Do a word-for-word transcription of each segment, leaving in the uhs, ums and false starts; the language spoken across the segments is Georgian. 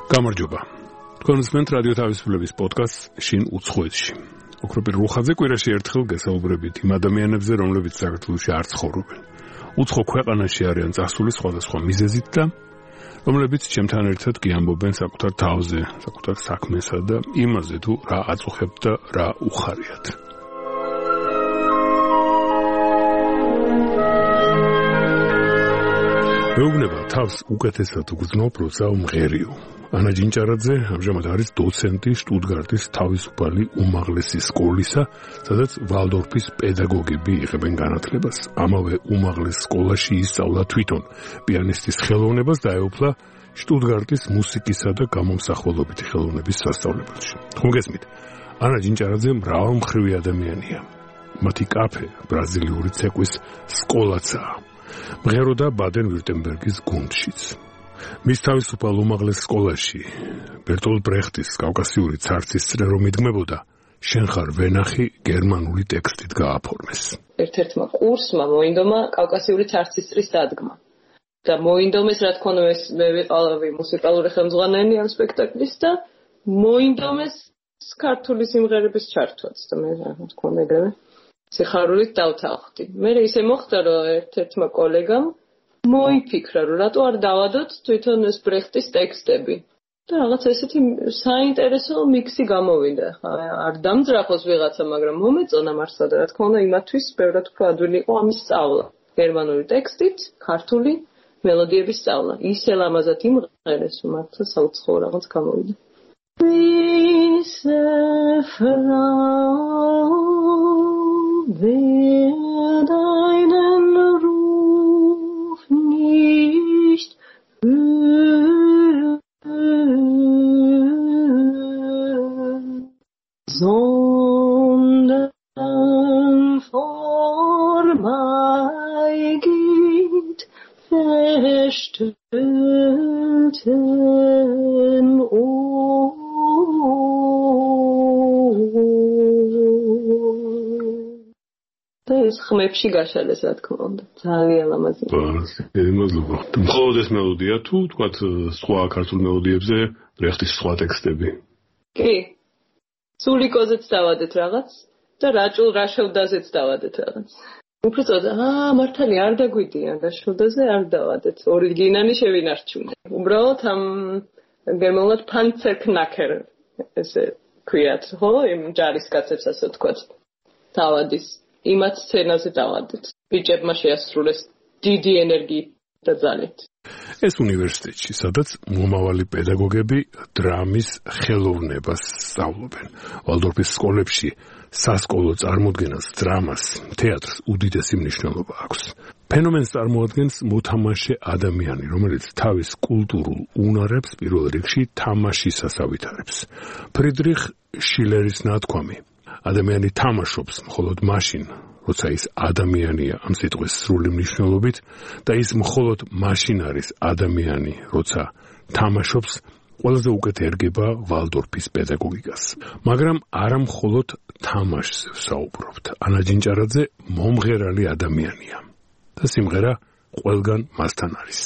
გამარჯობა. თქვენ უსმენთ რადიო თავისუფლების პოდკასტს შინ უცხოეთში. ოქროპირ რუხაძე კვირაში ერთხელ გესაუბრებით იმ ადამიანებზე, რომლებიც საქართველოში არ ცხოვრობენ. უცხო ქვეყანაში არიან წასული სხვადასხვა მიზეზით და რომლებიც ჩემთან ერთად კი ამბობენ საკუთარ თავზე, საკუთარ საქმესა და იმაზე თუ რა აწუხებთ და რა უხარიათ. მეუბნება თავს უკეთესად უგრძნობ, როცა უმღერიო. ანა ჯინჭარაძე ამჟამად არის დოცენტი შტუტგარტის თავისუფალი უმაღლესი სკოლისა, სადაც ვალდორფის პედაგოგები იღებენ განათლებას. ამავე უმაღლეს სკოლაში ისწავლა თვითონ პიანისტის ხელოვნებას და ეუფლა შტუტგარტის მუსიკისა და გამომსახველობითი ხელოვნების სასწავლებელში. ხომ გესმით? ანა ჯინჭარაძე მრავალმხრივი ადამიანია. მათი კაფე ბრაზილიური ცეკვის სკოლაცაა. მღეროდა ბადენ-ვიურტემბერგის გუნდშიც. მის თავისუფალ უმაღლეს სკოლაში ბერტოლდ ბრეხტის კავკასიური ცარცის წრე რომ იდგმებოდა, შენ ხარ ვენახი გერმანული ტექსტით გააფორმეს. ერთ-ერთმა კურსმა მოინდომა კავკასიური ცარცის წრის დადგმა. და მოინდომეს, რა თქმა უნდა, მე ვიყავი მუსიკალური ხელმძღვანელი ამ სპექტაკლის და მოინდომეს ქართული სიმღერების ჩართვაც და მე რა თქმა უნდა ეგრევე სიხარულით დავთანხმდი. მე ისე მოხდა, რომ ერთ-ერთმა კოლეგამ მოიფიქრა, რომ რატო არ დავადოთ თვითონ ეს ბრეხტის ტექსტები. და რაღაც ესეთი საინტერესო მიქსი გამოვიდა. არ დამძრახოს ვიღაცა, მაგრამ მომეწონა მართლა და რა თქმა უნდა იმათვის ბევრად უფრო ადვილი იყო ამის სწავლა. გერმანული ტექსტით, ქართული მელოდიების სწავლა. ისე ლამაზად იმღერეს, მართლა საუცხოო რაღაც გამოვიდა. Diese Frau wer deinen Ruf nicht hört, sondern vorbeigeht, verstellten Ohren. ეს ხმებში გაშალეს, რა თქმა უნდა. ძალიან ლამაზი. მადლობა. მხოლოდ ეს მელოდია თუ თქვათ სხვა ქართულ მელოდიებზე ბრეხტის სხვა ტექსტები? კი. სულიკოზეც დავადეთ რაღაც და რაჭულ რაშევდაზეც დავადეთ რაღაც. უბრალოდ აა მართალია არ დაგვიდიან რაშევდაზე არ დავადეთ. ორიგინალი შევინარჩუნე. უბრალოდ ამ გერმანულად ფანცერკნაკერ ესე ქვიათ, ხო? იმ ჯარისკაცებს ასე ვთქვათ. დავადის იმათ სცენაზე დავადეთ. ბიჭებმა შეასრულეს დიდი ენერგიით და ძალით. ეს უნივერსიტეტში, სადაც მომავალი პედაგოგები დრამის ხელოვნებას სწავლობენ. ვალდორფის სკოლებში სასკოლო წარმოდგენას, დრამას, თეატრს უდიდესი მნიშვნელობა აქვს. ფენომენს წარმოადგენს მოთამაშე ადამიანი, რომელიც თავის კულტურულ უნარებს პირველ რიგში თამაშისას ავითარებს. ფრიდრიხ შილერის ნათქვამი ადამიანი თამაშობს მხოლოდ მაშინ, როცა ის ადამიანია ამ სიტყვის სრული მნიშვნელობით და ის მხოლოდ მაშინ არის ადამიანი, როცა თამაშობს, ყველაზე უკეთ ერგება ვალდორფის პედაგოგიკას. მაგრამ არა მხოლოდ თამაშზე ვსაუბრობთ. ანა ჯინჭარაძე მომღერალი ადამიანია და სიმღერა ყველგან მასთან არის.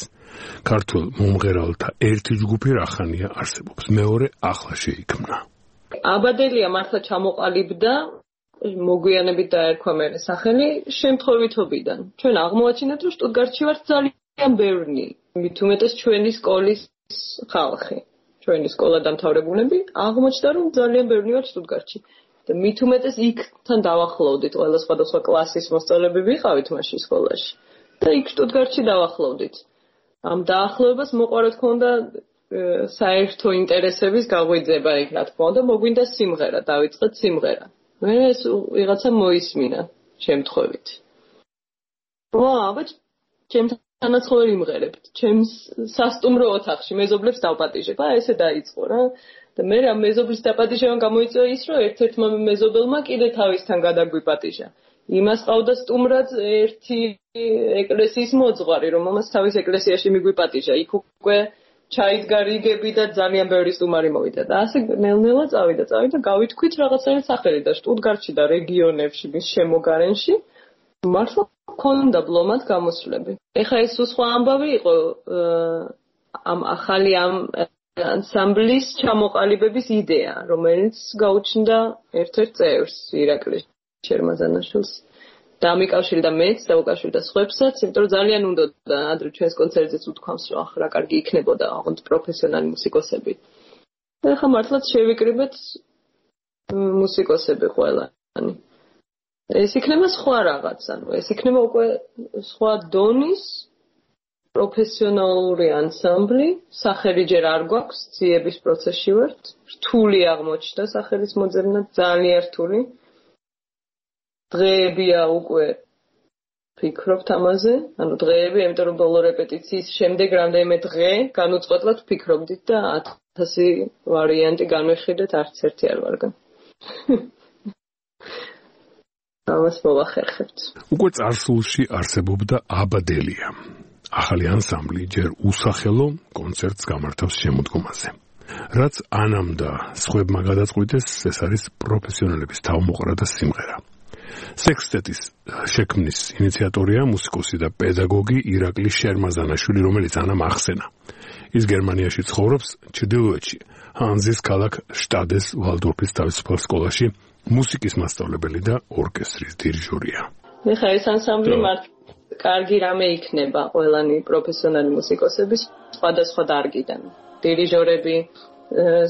ქართულ მომღერალთა ერთი ჯგუფი რახანია არსებობს, მეორე ახლა შეიქმნა. აბადელია მართლა ჩამოყალიბდა, მოგვიანებით დაერქვა მე სახელი შემთხვევითობიდან. ჩვენ აღმოაჩინეთ, რომ შტუტგარტში ვართ ძალიან ბევრი, მით უმეტეს ჩვენი სკოლის ხალხი. ჩვენი სკოლა დამთავრებულები აღმოჩნდა, რომ ძალიან ბევრი ვართ შტუტგარტში. და მით უმეტეს იქთან დავახლოვდით, ყველა სხვადასხვა კლასის მოსწავლეები ვიყავით მაშინ სკოლაში. და იქ შტუტგარტში დავახლოვდით. ამ დაახლოებას მოყვა, რა თქმა უნდა, საერთო ინტერესების გაღვიძება იქ, რა თქმა უნდა, მოგვინდა სიმღერა, დავიწყეთ სიმღერა. მე ეს ვიღაცა მოისმინა შემთხვევით. ვა, აბა ჩემთანაც ხოლმე იმღერებთ. ჩემს სასტუმრო ოთახში მეზობლებს დავპატიჟებ. აა ესე დაიწყო რა. და მე რა მეზობლის დაპატიჟებამ გამოიწვია ის, რომ ერთ-ერთმა მეზობელმა კიდე თავისთან გადაგვიპატიჟა. იმას ყავდა სტუმრად ერთი ეკლესიის მოძღვარი, რომელმაც თავის ეკლესიაში მიგვიპატიჟა. იქ უკვე ჩაიდგა რიგები და ძალიან ბევრი სტუმარი მოვიდა და ასე ნელ-ნელა წავიდა, წავიდა, გავითქვით რაღაცნაირად სახელი და შტუტგარტში და რეგიონებში, მის შემოგარენში მართლა ქონდა ბლომად გამოსვლები. ეხლა ეს სხვა ამბავი იყო ამ ახალი ამ ანსამბლის ჩამოყალიბების იდეა, რომელიც გაუჩნდა ერთ-ერთ წევრს, ირაკლი შერმაზანაშვილს. დამიკავშირდა მეც, დავუკავშირდა სხვებსაც, იმიტომ რომ ძალიან უნდოდა ადრე ჩვენს კონცერტზეც უთქვამს, რომ ახლა კარგი იქნებოდა ოღონდ პროფესიონალი მუსიკოსები. და ახლა მართლაც შევიკრიბეთ მუსიკოსები ყველანი. ეს იქნება სხვა რაღაც, ანუ ეს იქნება უკვე სხვა დონის პროფესიონალური ანსამბლი, სახელი ჯერ არ გვაქვს, ძიების პროცესში ვართ, რთული აღმოჩნდა სახელის მოძებნა, ძალიან რთული. დღეებია უკვე ფიქრობთ ამაზე, ანუ დღეები, იმიტომ რომ ბოლო რეპეტიციის შემდეგ რამდენიმე დღე განუწყვეტლად ფიქრობდით და ათასი ვარიანტი განვიხილეთ, არც ერთი არ ვარგან. ამას მოვახერხებთ. უკვე წარსულში არსებობდა აბადელია. ახალი ანსამბლი ჯერ უსახელო კონცერტს გამართავს შემოდგომაზე. რაც ანამ და სხვებმა გადაწყვიტეს, ეს არის პროფესიონალების თავმოყრა და სიმღერა. სექსტეტის შექმნის ინიციატორია მუსიკოსი და პედაგოგი ირაკლი შერმაზანაშვილი, რომელიც ანამ ახსენა. ის გერმანიაში ცხოვრობს, ჩრდილოეთში, ჰანზის ქალაქ შტადეს ვალდორფის თავისუფალ სკოლაში მუსიკის მასწავლებელი და ორკესტრის დირიჟორია. ეხლა ეს ანსამბლი მართ კარგი რამე იქნება ყველანი პროფესიონალი მუსიკოსების სხვადასხვა დარგიდან. დირიჟორები,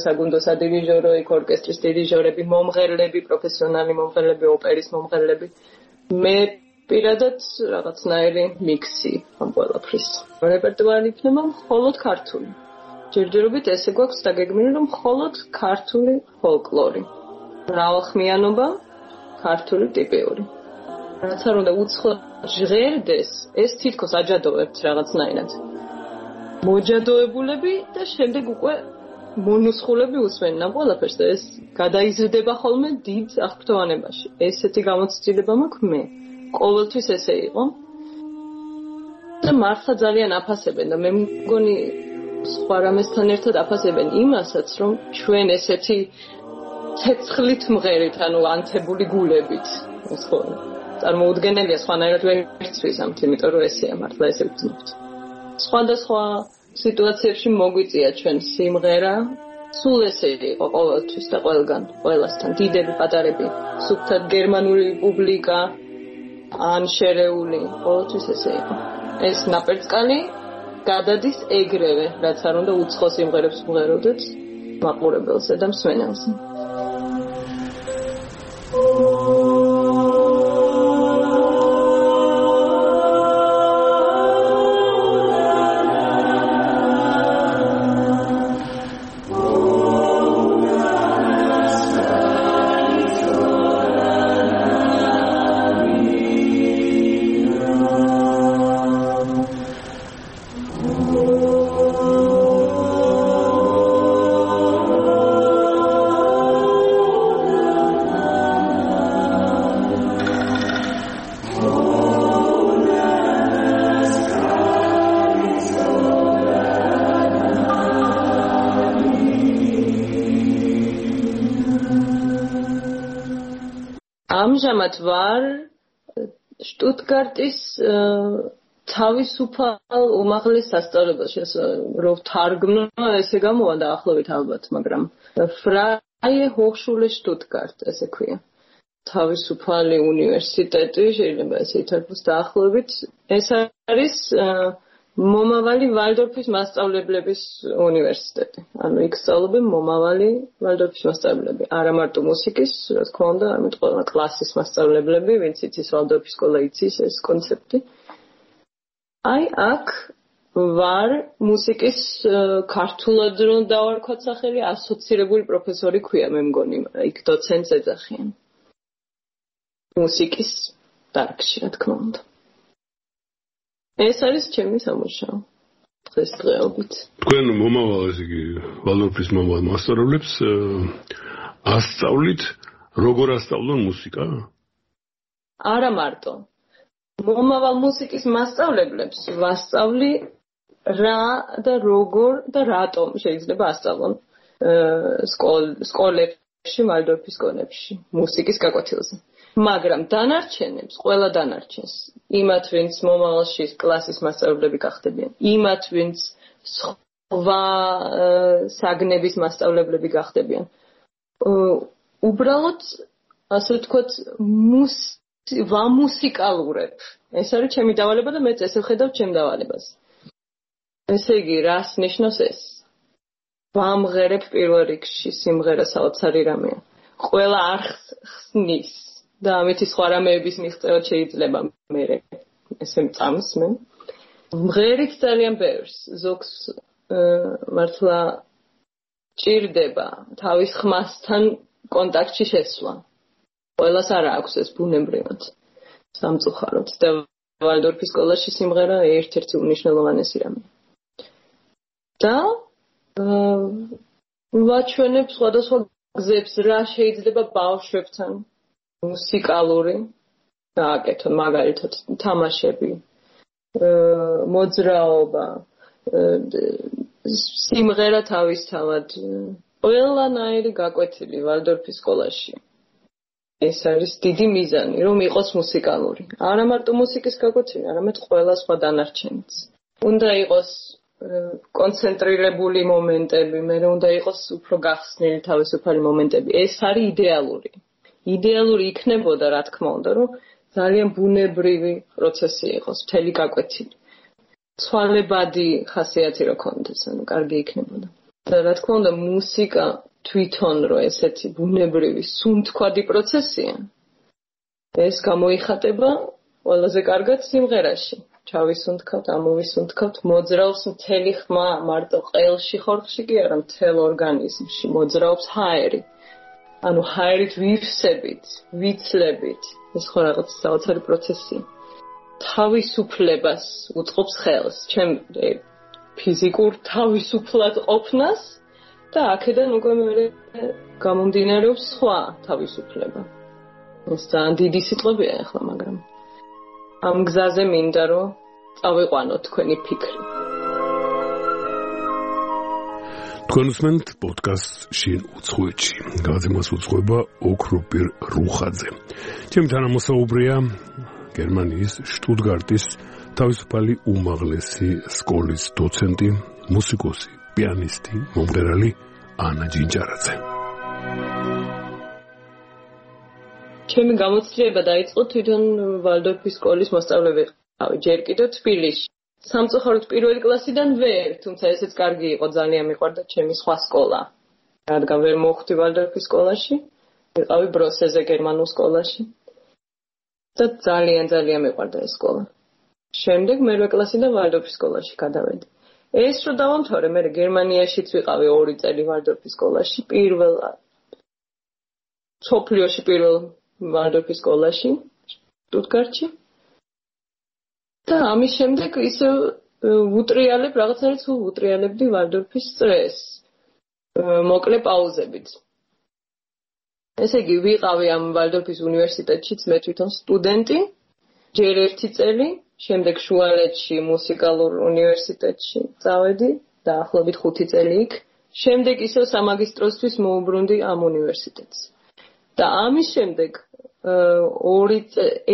საგუნდო სადირიჟორო, ორკესტრის დირიჟორები, მომღერლები, პროფესიონალი მომღერლები, ოპერის მომღერლები. მე პირადად რაღაცნაირი მიქსი ამ ყველაფრის. რეპერტუარი იქნება მხოლოდ ქართული. ჯერჯერობით ესე გვაქვს დაგეგმილი, რომ მხოლოდ ქართული ფოლკლორი. მრავალხმიანობა, ქართული ტიპიური. რაც არ უნდა უცხო ჟღერდეს, ეს თითქოს აჯადოვებთ რაღაცნაირად. მოჯადოებულები და შემდეგ უკვე მონუსხულები უსმენენ ამ ყველაფერს და ეს გადაიზრდება ხოლმე დიდ აღფრთოვანებაში. ესეთი გამოცდილება მაქვს მე. ყოველთვის ესე იყო. და მართლა ძალიან აფასებენ და მე მგონი სხვა რამესთან ერთად აფასებენ იმასაც, რომ ჩვენ ესეთი ცეცხლით მღერით, ანუ ანთებული გულებით, ეს ხო წარმოუდგენელია, სხვანაირად ვერ ვცვისამთ, იმიტომ რომ ესეა მართლა ესე ვწნობთ. სხვადასხვა სიტუაციებში მოგვიწია ჩვენ სიმღერა, სულ ესე იყო ყოველთვის და ყველგან, ყველასთან, დიდები, პატარები, სუფთად გერმანული პუბლიკა, ან შერეული, ყოველთვის ესე იყო. ეს ნაპერწკალი გადადის ეგრევე, რაც არ უნდა უცხო სიმღერებს ვღეროდეთ მაყურებელზე და მსმენელზე. ამჟამად ვარ შტუტგარტის თავისუფალ უმაღლეს სასწავლებელში, რომ თარგმნო, ესე გამოვა დაახლოებით ალბათ, მაგრამ Freie Hochschule Stuttgart, ესე ქვია. თავისუფალი უნივერსიტეტი, შეიძლება ესე ითარგმნოს დაახლოებით. ეს არის მომავალი ვალდორფის მასწავლებლების უნივერსიტეტი. ანუ იქ სწავლობენ მომავალი ვალდორფის მასწავლებლები. არა მარტო მუსიკის, რა თქმა უნდა, არამედ ყველა კლასის მასწავლებლები, ვინც იცის ვალდორფის სკოლა იცის ეს კონცეფტი. აი აქ ვარ მუსიკის ქართულად რომ დავარქვათ სახელი, ასოცირებული პროფესორი ქვია, მე მგონი, იქ დოცენტს ეძახიან. მუსიკის დარგში, რა თქმა უნდა. ეს არის ჩემი სამუშაო დღესდღეობით. თქვენ მომავალ ესე იგი ვალდორფის მომავალ მასწავლებლებს ასწავლით როგორ ასწავლონ მუსიკა? არა მარტო. მომავალ მუსიკის მასწავლებლებს ვასწავლი რა და როგორ და რატომ შეიძლება ასწავლონ სკოლებში, ვალდორფის სკოლებში, მუსიკის გაკვეთილზე. მაგრამ დანარჩენებს, ყველა დანარჩენს, იმათ ვინც მომავალში კლასის მასწავლებლები გახდებიან, იმათ ვინც ვა საგნების მასწავლებლები გახდებიან. უბრალოდ ასე ვთქვათ, მუს ვამუსიკალურებ. ეს არის ჩემი დავალება და მეც ესე ვხედავ ჩემ დავალებას. ესე იგი, რას ნიშნავს ეს? ვამღერებ პირველ რიგში სიმღერა საოცარი რამეა. ყველა არხს ხსნის და ამითი სხვა რამეების მიღწევად შეიძლება მე ესე მწამს მე. მღერით ძალიან ბევრს, ზოგს მართლა ჭირდება თავის ხმასთან კონტაქტში შესვლა. ყველას არ აქვს ეს ბუნებრივად. სამწუხაროდ და ვალდორფის სკოლაში სიმღერა ერთ-ერთი უმნიშვნელოვანესი რამეა. და ვაჩვენებ სხვადასხვა გზებს, რა შეიძლება ბავშვებთან მუსიკალური გააკეთონ, მაგალითად თამაშები, მოძრაობა, სიმღერა თავისთავად, ყველანაირი გაკვეთილი ვალდორფის სკოლაში. ეს არის დიდი მიზანი, რომ იყოს მუსიკალური. არა მარტო მუსიკის გაკვეთილი, არამედ ყველა სხვა დანარჩენიც. უნდა იყოს კონცენტრირებული მომენტები, მე უნდა იყოს უფრო გახსნილი თავისუფალი მომენტები. ეს არის იდეალური. იდეალური იქნებოდა, რა თქმა უნდა, რომ ძალიან ბუნებრივი პროცესი იყოს, მთელი გაკვეთილი. ცვალებადი ხასიათი რო ქონდეს, ანუ კარგი იქნებოდა. და რა თქმა უნდა, მუსიკა თვითონ რო ესეთი ბუნებრივი, სუნთქვადი პროცესია. ეს გამოიხატება ყველაზე კარგად სიმღერაში. ჩავისუნთქავთ, ამოვისუნთქავთ, მოძრაობს მთელი ხმა, მარტო ყელში ხორხში კი არა, მთელ ორგანიზმში მოძრაობს ჰაერი. ანუ ჰაერით ვივსებით, ვიცლებით. ეს ხო რაღაც საოცარი პროცესია. თავისუფლებას უწყობს ხელს, ჩემ ფიზიკურ თავისუფლად ყოფნას და აქედან უკვე მე გამომდინარეობს სხვა თავისუფლება. ეს ძალიან დიდი სიტყვებია ახლა, მაგრამ ამ გზაზე მინდა რომ წავიყვანოთ თქვენი ფიქრი. თქვენ უსმენთ პოდკასტ შინ უცხოეთში. გადაცემას უძღვება ოქროპირ რუხაძე. ჩემი თანამოსაუბრეა გერმანიის შტუტგარტის თავისუფალი უმაღლესი სკოლის დოცენტი, მუსიკოსი, პიანისტი, მომღერალი ანა ჯინჯარაძე. ჩემი გამოცდილება დაიწყო თვითონ ვალდორფის სკოლის მოსწავლე ვიყავი, ჯერ კიდევ თბილისში. სამწუხაროდ პირველი კლასიდან ვერ, თუმცა ესეც კარგი იყო, ძალიან მიყვარდა ჩემი სხვა სკოლა. რადგან ვერ მოვხვდი ვალდორფის სკოლაში, ვიყავი ბროსეზე გერმანულ სკოლაში. და ძალიან ძალიან მიყვარდა ეს სკოლა. შემდეგ მერვე კლასიდან ვალდორფის სკოლაში გადავედი. ეს რო დავამთავრე, მე გერმანიაშიც ვიყავი ორი წელი ვალდორფის სკოლაში, პირველ სოფლიოში პირველ ვალდორფის სკოლაში, შტუტგარტში. და ამის შემდეგ ისე უტრიალებ, რაღაც არის სულ უტრიალებდი ვალდორფის წრეს. მოკლე პაუზებით. ესე იგი, ვიყავი ამ ვალდორფის უნივერსიტეტშიც მე თვითონ სტუდენტი, ჯერ ერთი წელი, შემდეგ შუალედში მუსიკალურ უნივერსიტეტში წავედი, დაახლოებით ხუთი წელი იქ. შემდეგ ისევ სამაგისტროსთვის მოუბრუნდი ამ უნივერსიტეტს. და ამის შემდეგ ორი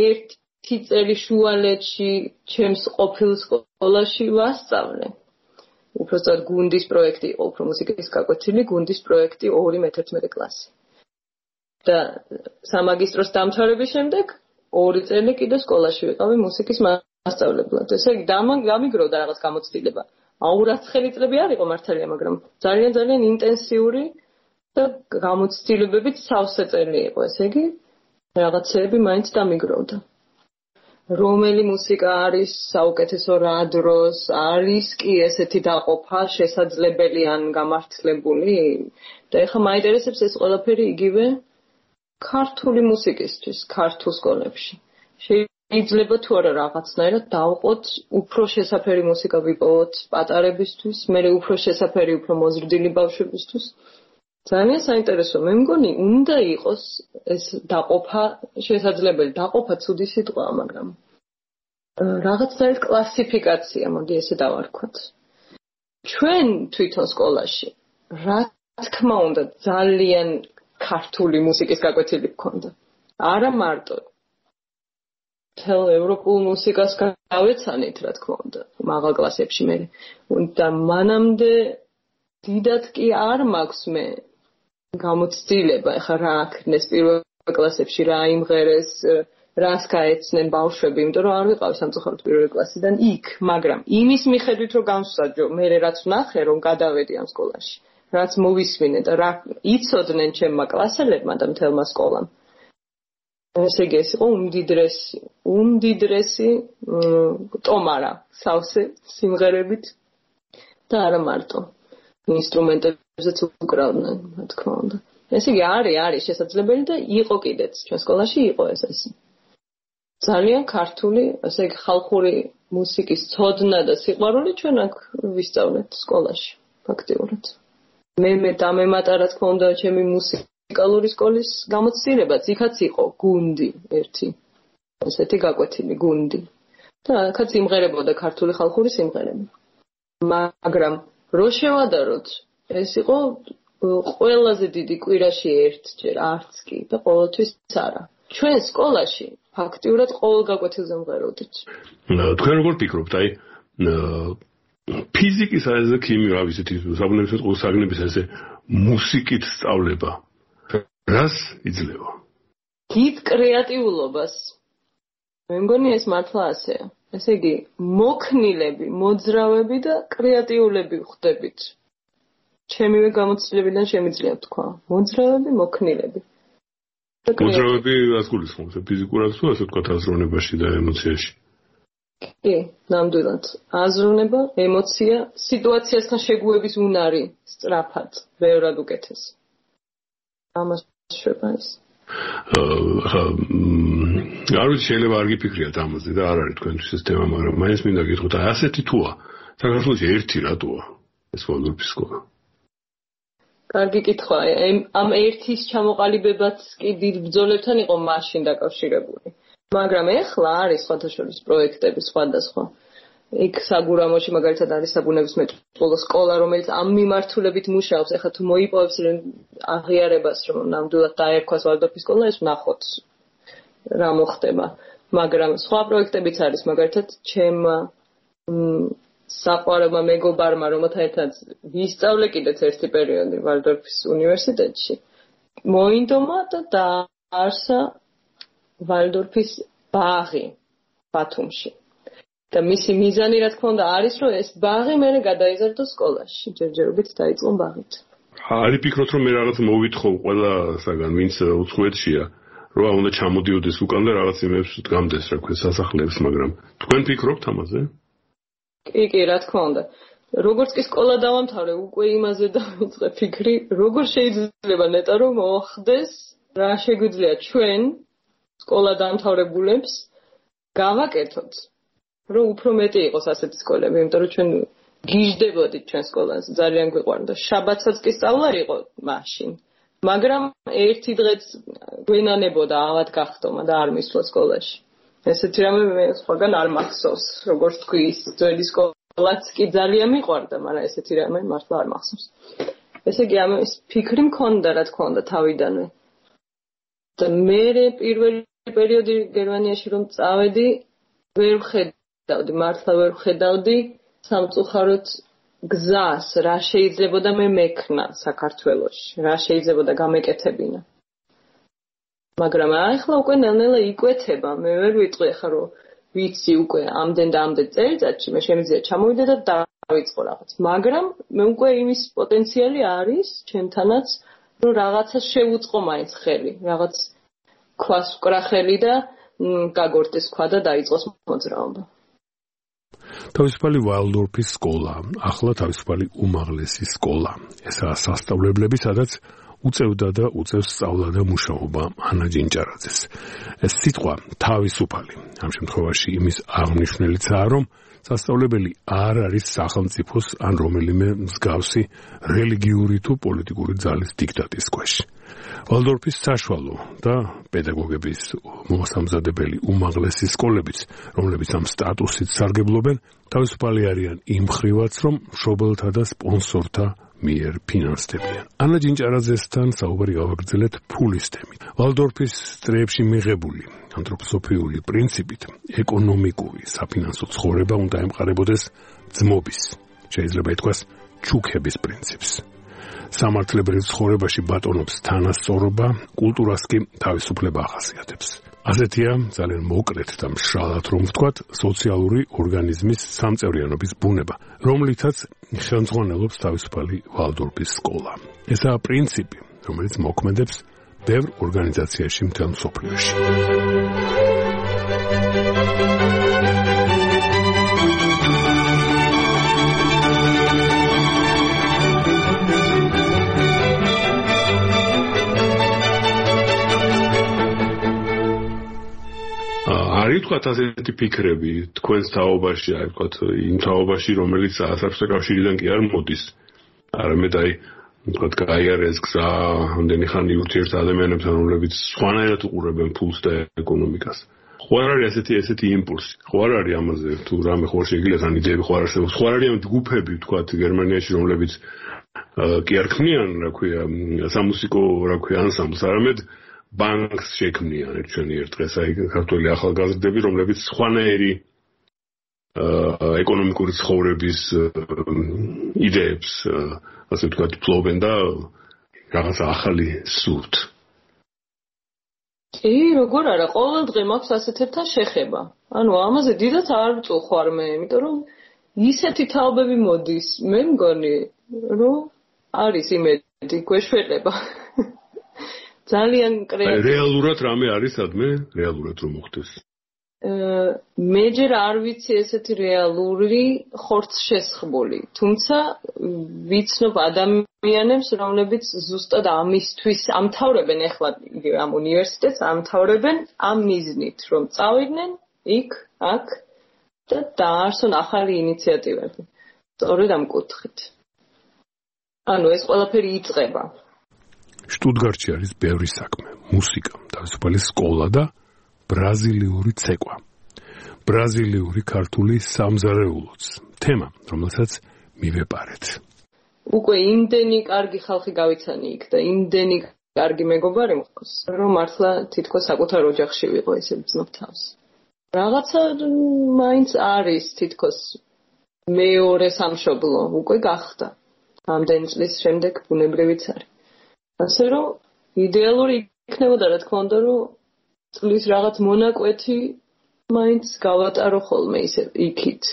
ერთი წელი შუალედში ჩემს ყოფილ სკოლაში ვასწავლე. უბრალოდ გუნდის პროექტი იყო, უფრო მუსიკის გაკვეთილი, გუნდის პროექტი ორი მეთერთმეტე კლასი. და სამაგისტროს დამთავრების შემდეგ ორი წელი კიდე სკოლაში ვიყავი მუსიკის მასწავლებლად. ესე იგი, დამიგროვდა რაღაც გამოცდილება. აურაცხელი წლები არ იყო მართალია, მაგრამ ძალიან ძალიან ინტენსიური და გამოცდილებებით სავსე წელი იყო. ესე იგი, რაღაცეები მაინც დამიგროვდა. რომელი მუსიკა არის საუკეთესო რა დროს, არის კი ესეთი დაყოფა შესაძლებელი ან გამართლებული? და ეხლა მაინტერესებს ეს ყველაფერი იგივე ქართული მუსიკისთვის, ქართულ სკოლებში. შეიძლება თუ არა რაღაცნაირად დავყოთ, უფრო შესაფერი მუსიკა ვიპოვოთ პატარებისთვის, მე უფრო შესაფერი, უფრო მოზრდილი ბავშვებისთვის. ძალიან საინტერესო, მე მგონი, უნდა იყოს ეს დაყოფა შესაძლებელი, დაყოფა ცუდი სიტყვაა, მაგრამ რაღაცნაირად კლასიფიკაცია, მოდი ესე დავარქვათ. ჩვენ თვითონ სკოლაში, რა თქმა უნდა, ძალიან ქართული მუსიკის გაკვეთილი გქონდა. არა მარტო თელ ევროპულ მუსიკას გავეცანით, რა თქმა უნდა, მაღალ კლასებში მე. და მანამდე დიდად კი არ მაქვს მე გამოცდილება, ეხლა რა აქნეს პირველ კლასებში, რა იმღერეს, რას გაეცნენ ბავშვები, იმიტომ რომ არ ვიყავი სამწუხაროდ პირველი კლასიდან იქ, მაგრამ იმის მიხედვით რომ გამსაჯო, მე რაც ვნახე, რომ გადავედი ამ სკოლაში, რაც მოვისმინე და რა იცოდნენ ჩემმა კლასელებმა და მთელმა სკოლამ. ესე იგი ეს იყო უმდიდრესი, უმდიდრესი ტომარა სავსე სიმღერებით და არა მარტო. ინსტრუმენტებზეც უკრავდნენ, რა თქმა უნდა. ესე იგი არის, არის შესაძლებელი და იყო კიდეც, ჩვენ სკოლაში იყო ეს ესე. ძალიან ქართული, ასე იგი ხალხური მუსიკის ცოდნა და სიყვარული ჩვენ აქ ვისწავლეთ სკოლაში, ფაქტიურად. მე მე დამემატა, რა თქმა უნდა, ჩემი მუსიკალური სკოლის გამოცდილებაც, იქაც იყო გუნდი ერთი. ესეთი გაკვეთილი გუნდი. და აქაც იმღერებოდა ქართული ხალხური სიმღერები. მაგრამ რო შევადაროთ, ეს იყო ყველაზე დიდი კვირაში ერთჯერ, არც კი და ყოველთვის არა. ჩვენ სკოლაში ფაქტიურად ყოველ გაკვეთილზე მღეროდით. თქვენ როგორ ფიქრობთ, აი ფიზიკის ასე ქიმია, რა ვიცით, საბუნებისმეტყველო ყურსაგნების ასე მუსიკით სწავლება. რას იძლევა? დიდ კრეატიულობას. მე მგონი ეს მართლა ასეა. ესე იგი, მოქნილები, მოძრავები და კრეატიულები ხდებით. ჩემივე გამოცდილებიდან შემიძლია თქვა. მოძრავები, მოქნილები. მოძრავები რას გულისხმობს? ფიზიკურად თუ ასე ვთქვათ აზროვნებაში და ემოციაში? კი, ნამდვილად. აზროვნება, ემოცია, სიტუაციასთან შეგუების უნარი სწრაფად, ბევრად უკეთესი. ამას შვება ეს. არ ვიცი, შეიძლება არ გიფიქრიათ ამაზე და არ არის თქვენთვის ეს თემა, მაგრამ მაინც მინდა გითხრათ, აი ასეთი თუა, საქართველოში ერთი რატოა ეს ვალდორფის სკოლა? კარგი კითხვა, ამ ერთის ჩამოყალიბებაც კი დიდ ბრძოლებთან იყო მაშინ დაკავშირებული. მაგრამ ეხლა არის სხვადასხვა პროექტები სხვადასხვა. იქ საგურამოში მაგალითად არის საბუნებისმეტყველო სკოლა, რომელიც ამ მიმართულებით მუშაობს. ეხლა თუ მოიპოვებს აღიარებას, რომ ნამდვილად დაერქვას ვალდორფის სკოლა, ეს ვნახოთ რა მოხდება. მაგრამ სხვა პროექტებიც არის, მაგალითად ჩემმა საყვარელმა მეგობარმა, რომელთან ერთად ვისწავლე კიდეც ერთი პერიოდი ვალდორფის უნივერსიტეტში, მოინდომა და დაარსა ვალდორფის ბაღი ბათუმში. და მისი მიზანი, რა თქმა უნდა, არის, რომ ეს ბაღი მერე გადაიზარდოს სკოლაში. ჯერჯერობით დაიწყო ბაღით. არის ფიქრობთ, რომ მე რაღაც მოვითხოვ ყველა საგან, ვინც უცხოეთშია, რომ უნდა ჩამოდიოდეს უკან და რაღაც იმებს დგამდეს, რა ქვია, სასახლეებს, მაგრამ თქვენ ფიქრობთ ამაზე? კი, კი, რა თქმა უნდა. როგორც კი სკოლა დავამთავრე, უკვე იმაზე დავიწყე ფიქრი, როგორ შეიძლება ნეტა რომ მოხდეს, რა შეგვიძლია ჩვენ სკოლა დამთავრებულებს გავაკეთოთ, რომ უფრო მეტი იყოს ასეთი სკოლები, იმიტომ რომ ჩვენ გიждდებოდით ჩვენ სკოლაზე, ძალიან გვიყვარდა. შაბათსაც კი სწავლა იყო მაშინ. მაგრამ ერთი დღეც გვენანებოდა ავად გახდომა და არ მისვლა სკოლაში. ესეთი რამე მე სხვაგან არ მახსოვს, როგორც თქვი, ის ძველი სკოლაც კი ძალიან მიყვარდა, მაგრამ ესეთი რამე მართლა არ მახსოვს. ესე იგი, ამის ფიქრი მქონდა, რა თქმა უნდა, თავიდანვე. და მე პირველი პერიოდი გერმანიაში რომ წავედი, ვერ ვხედავდი, მართლა ვერ ვხედავდი სამწუხაროდ გზას, რა შეიძლებოდა მე მექნა საქართველოში, რა შეიძლებოდა გამეკეთებინა. მაგრამ ახლა უკვე ნელ-ნელა იკვეთება, მე ვერ ვიტყვი ახლა რომ ვიცი უკვე ამდენ და ამდენ წელიწადში მე შემიძლია ჩამოვიდე და დავიწყო რაღაც. მაგრამ მე უკვე იმის პოტენციალი არის ჩემთანაც, რომ რაღაცა შევუწყო მაინც ხელი, რაღაც ქვას ვკრა ხელი და გაგორდეს ქვა და დაიწყოს მოძრაობა. თავისუფალი ვალდორფის სკოლა, ახლა თავისუფალი უმაღლესი სკოლა. ესაა სასწავლებლები, სადაც უწევდა და უწევს სწავლა და მუშაობა ანა ჯინჭარაძეს. ეს სიტყვა თავისუფალი ამ შემთხვევაში იმის აღნიშნულიცაა, რომ სასწავლებელი არ არის სახელმწიფოს ან რომელიმე მსგავსი რელიგიური თუ პოლიტიკური ძალის დიქტატის ქვეშ. ვალდორფის საშუალო და პედაგოგების მოსამზადებელი უმაღლესი სკოლებიც, რომლებიც ამ სტატუსით სარგებლობენ, თავისუფალი არიან იმ მხრივაც, რომ მშობელთა და სპონსორთა მიერ ფინანსდებიან. ანა ჯინჭარაძესთან საუბარი გავაგრძელეთ ფულის თემით. ვალდორფის წრეებში მიღებული ანთროპოსოფიული პრინციპით ეკონომიკური საფინანსო ცხოვრება უნდა ემყარებოდეს ძმობის, შეიძლება ითქვას ჩუქების პრინციპს. სამართლებრივ ცხოვრებაში ბატონობს თანასწორობა, კულტურას კი თავისუფლება ახასიათებს. ასეთია ძალიან მოკლედ და მშრალად რომ ვთქვათ, სოციალური ორგანიზმის სამწევრიანობის ბუნება, რომლითაც ხელმძღვანელობს თავისუფალი ვალდორფის სკოლა. ესაა პრინციპი, რომელიც მოქმედებს ბევრ ორგანიზაციაში მთელ მსოფლიოში. არის თქვათ ასეთი ფიქრები თქვენს თაობაში, აი თქვათ იმ თაობაში, რომელიც საერთაშორისო კავშირიდან კი არ მოდის. არამედ აი თქვათ გაიარეს გზა ამდენი ხანი ურთიერთ ადამიანებთან, რომლებიც სხვანაირად უყურებენ ფულს და ეკონომიკას. ხო არ არის ასეთი ესეთი იმპულსი. ხო არ არის ამაზე თუ რამე ხო შეიძლება თან იდეები ხო არ არსებობს. ხო არ არის ამ ჯგუფები თქვათ გერმანიაში, რომლებიც კი არ ქმნიან, რა ქვია, სამუსიკო, რა ქვია, ანსამბლს, არამედ ბანკს შექმნიან ჩვენი ერთ დღეს აი ქართველი ახალგაზრდები, რომლებიც სხვანაირი ეკონომიკური ცხოვრების იდეებს, ასე ვთქვათ, ფლობენ და რაღაცა ახალი სურთ. კი, როგორ არა, ყოველ დღე მაქვს ასეთებთან შეხება. ანუ ამაზე დიდად არ ვწუხარ მე, იმიტომ რომ ისეთი თაობები მოდის, მე მგონი, რომ არის იმედი, გვეშველება. ძალიან კრეატიული. რეალურად რამე არის სადმე? რეალურად რომ მოხდეს? მე ჯერ არ ვიცი ესეთი რეალური ხორცშესხმული, თუმცა ვიცნობ ადამიანებს, რომლებიც ზუსტად ამისთვის ამთავრებენ ახლა ამ უნივერსიტეტს, ამთავრებენ ამ მიზნით, რომ წავიდნენ იქ, აქ და დაარსონ ახალი ინიციატივები. სწორედ ამ კუთხით. ანუ ეს ყველაფერი იწყება. შტუტგარტში არის ბევრი საქმე, მუსიკა, თავისუფალი სკოლა და ბრაზილიური ცეკვა. ბრაზილიური ქართული სამზარეულოც. თემა, რომელსაც მივეპარეთ. უკვე იმდენი კარგი ხალხი გავიცანი იქ და იმდენი კარგი მეგობარი მყავს, რომ მართლა თითქოს საკუთარ ოჯახში ვიყო ესე ვძნობ თავს. რაღაცა მაინც არის თითქოს მეორე სამშობლო უკვე გახდა. ამდენი წლის შემდეგ ბუნებრივიც არის. ასე რომ იდეალური იქნებოდა რა თქმა უნდა რომ წლის რაღაც მონაკვეთი მაინც გავატარო ხოლმე ისე იქით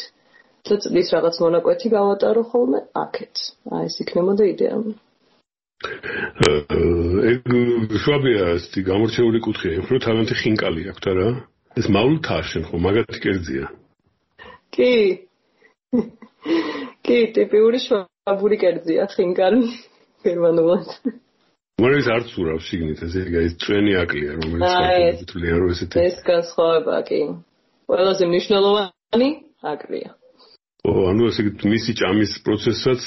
და წლის რაღაც მონაკვეთი გავატარო ხოლმე აქეთ. აი ეს იქნებოდა იდეალური. ეგ შვაბია ესეთი გამორჩეული კუთხეა, უფრო თავიანთი ხინკალი აქვს არა? ეს მაულთაა შენ ხო მაგათი კერძია? კი. კი, ტიპიური შვაბური კერძია ხინკალი გერმანულად. მოიეს არც ურავ შიგნით ესე ეს წვენი აკლია რომელიც თვლიან რომ ესეთი ეს განსხვავება კი ყველაზე მნიშვნელოვანი აკლია. ო ანუ ესე მისი ჭამის პროცესსაც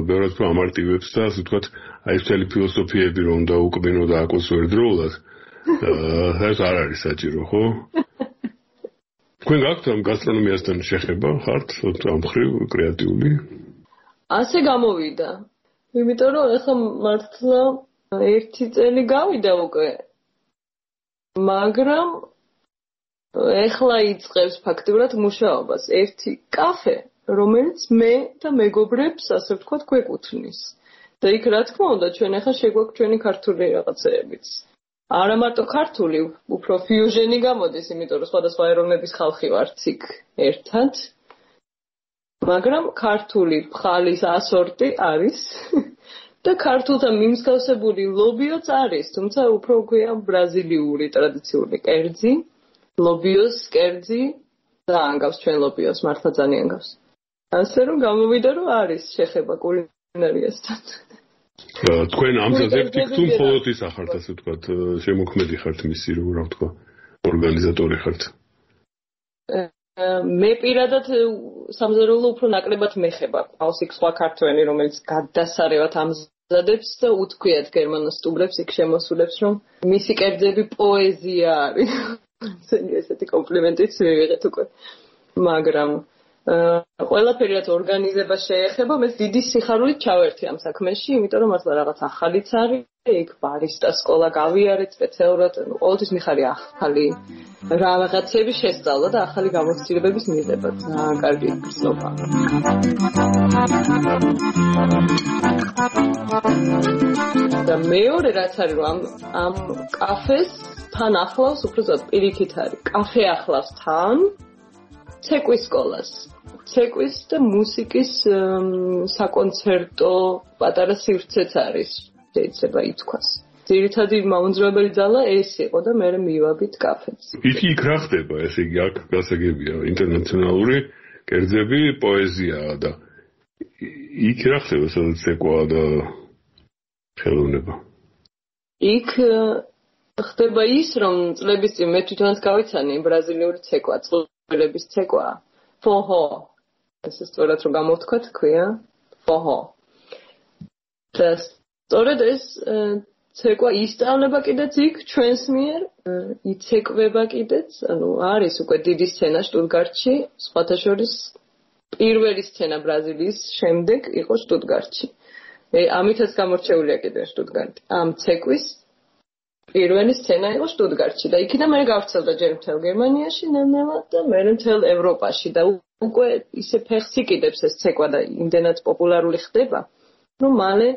ბევრად უფრო ამარტივებს და ასე ვთქვათ აი ეს მთელი ფილოსოფიები რომ უნდა უკბინო და აკოს ერთდროულად ეს არ არის საჭირო ხო? თქვენ გაქვთ ამ გასტრონომიასთან შეხება ხართ ამ ხრივ კრეატიული? ასე გამოვიდა. იმიტომ რომ ეხლა მართლა ერთი წელი გავიდა უკვე. მაგრამ ეხლა იწყებს ფაქტიურად მუშაობას ერთი კაფე, რომელიც მე და მეგობრებს, ასე ვთქვათ, გვეკუთვნის. და იქ რა თქმა უნდა, ჩვენ ახლა შეგვაქვს ჩვენი ქართული რაღაცეებიც. არა მარტო ქართული, უფრო ფიუჟენი გამოდის, იმიტომ რომ სხვადასხვა ეროვნების ხალხი ვართ იქ ერთად. მაგრამ ქართული ფხალის ასორტი არის. და ქართულთან მიმსგავსებული ლობიოც არის, თუმცა უფრო ქვია ბრაზილიური ტრადიციული კერძი, ლობიოს კერძი და ანგავს ჩვენ ლობიოს, მართლა ძალიან გავს. ასე რომ გამოვიდა რომ არის შეხება კულინარიასთან. თქვენ ამ ზედებით თუ მხოლოდ ის ახართ, ასე ვთქვათ, შემოქმედი ხართ მისი, რომ რა ვთქვა, ორგანიზატორი ხართ. მე პირადად სამზარეულო უფრო ნაკლებად მეხება. ყავს იქ სხვა ქართველი, რომელიც გადასარევად ამზადებს და უთქვიათ გერმანულ სტუმრებს იქ შემოსულებს, რომ მისი კერძები პოეზია არის. ესეთი კომპლიმენტიც მივიღეთ უკვე. მაგრამ ყველაფერი რაც ორგანიზებას შეეხება, მე დიდი სიხარულით ჩავერთი ამ საქმეში, იმიტომ რომ მართლა რაღაც ახალიც არის, იქ ბარისტა სკოლა გავიარეთ სპეციალურად, ყოველთვის მიხარი ახალი რაღაცები შესწავლა და ახალი გამოცდილებების მიღება. ძალიან კარგი გრძნობა. და მეორე რაც არის რომ ამ ამ კაფეს თან ახლავს, უფრო ზუსტად პირიქით არის. კაფე ახლავს თან ცეკვის სკოლას. ცეკვის და მუსიკის საკონცერტო პატარა სივრცეც არის, შეიძლება ითქვას. ძირითადი მაუნძრავებელი ძალა ეს იყო და მე მივაბით კაფეც. იქ იქ რა ხდება, ესე იგი აქ გასაგებია ინტერნაციონალური კერძები, პოეზიაა და იქ რა ხდება, სადაც ცეკვაა და ხელოვნება. იქ ხდება ის, რომ წლების წინ მე თვითონაც გავიცანი ბრაზილიური ცეკვა, წყვილების ცეკვა. Forró. ეს სწორად რომ გამოვთქვა თქვია, forró. და სწორედ ეს ცეკვა ისწავლება კიდეც იქ ჩვენს მიერ, იცეკვება კიდეც, ანუ არის უკვე დიდი სცენა შტუტგარტში, სხვათა შორის პირველი სცენა ბრაზილიის შემდეგ იყო შტუტგარტში. ამითაც გამორჩეულია კიდე შტუტგარტი. ამ ცეკვის პირველი სცენა იყო შტუტგარტში და იქიდან მე გავრცელდა ჯერ მთელ გერმანიაში ნელ-ნელა და მე მთელ ევროპაში და უკვე ისე ფეხს იკიდებს ეს ცეკვა და იმდენად პოპულარული ხდება, რომ მალე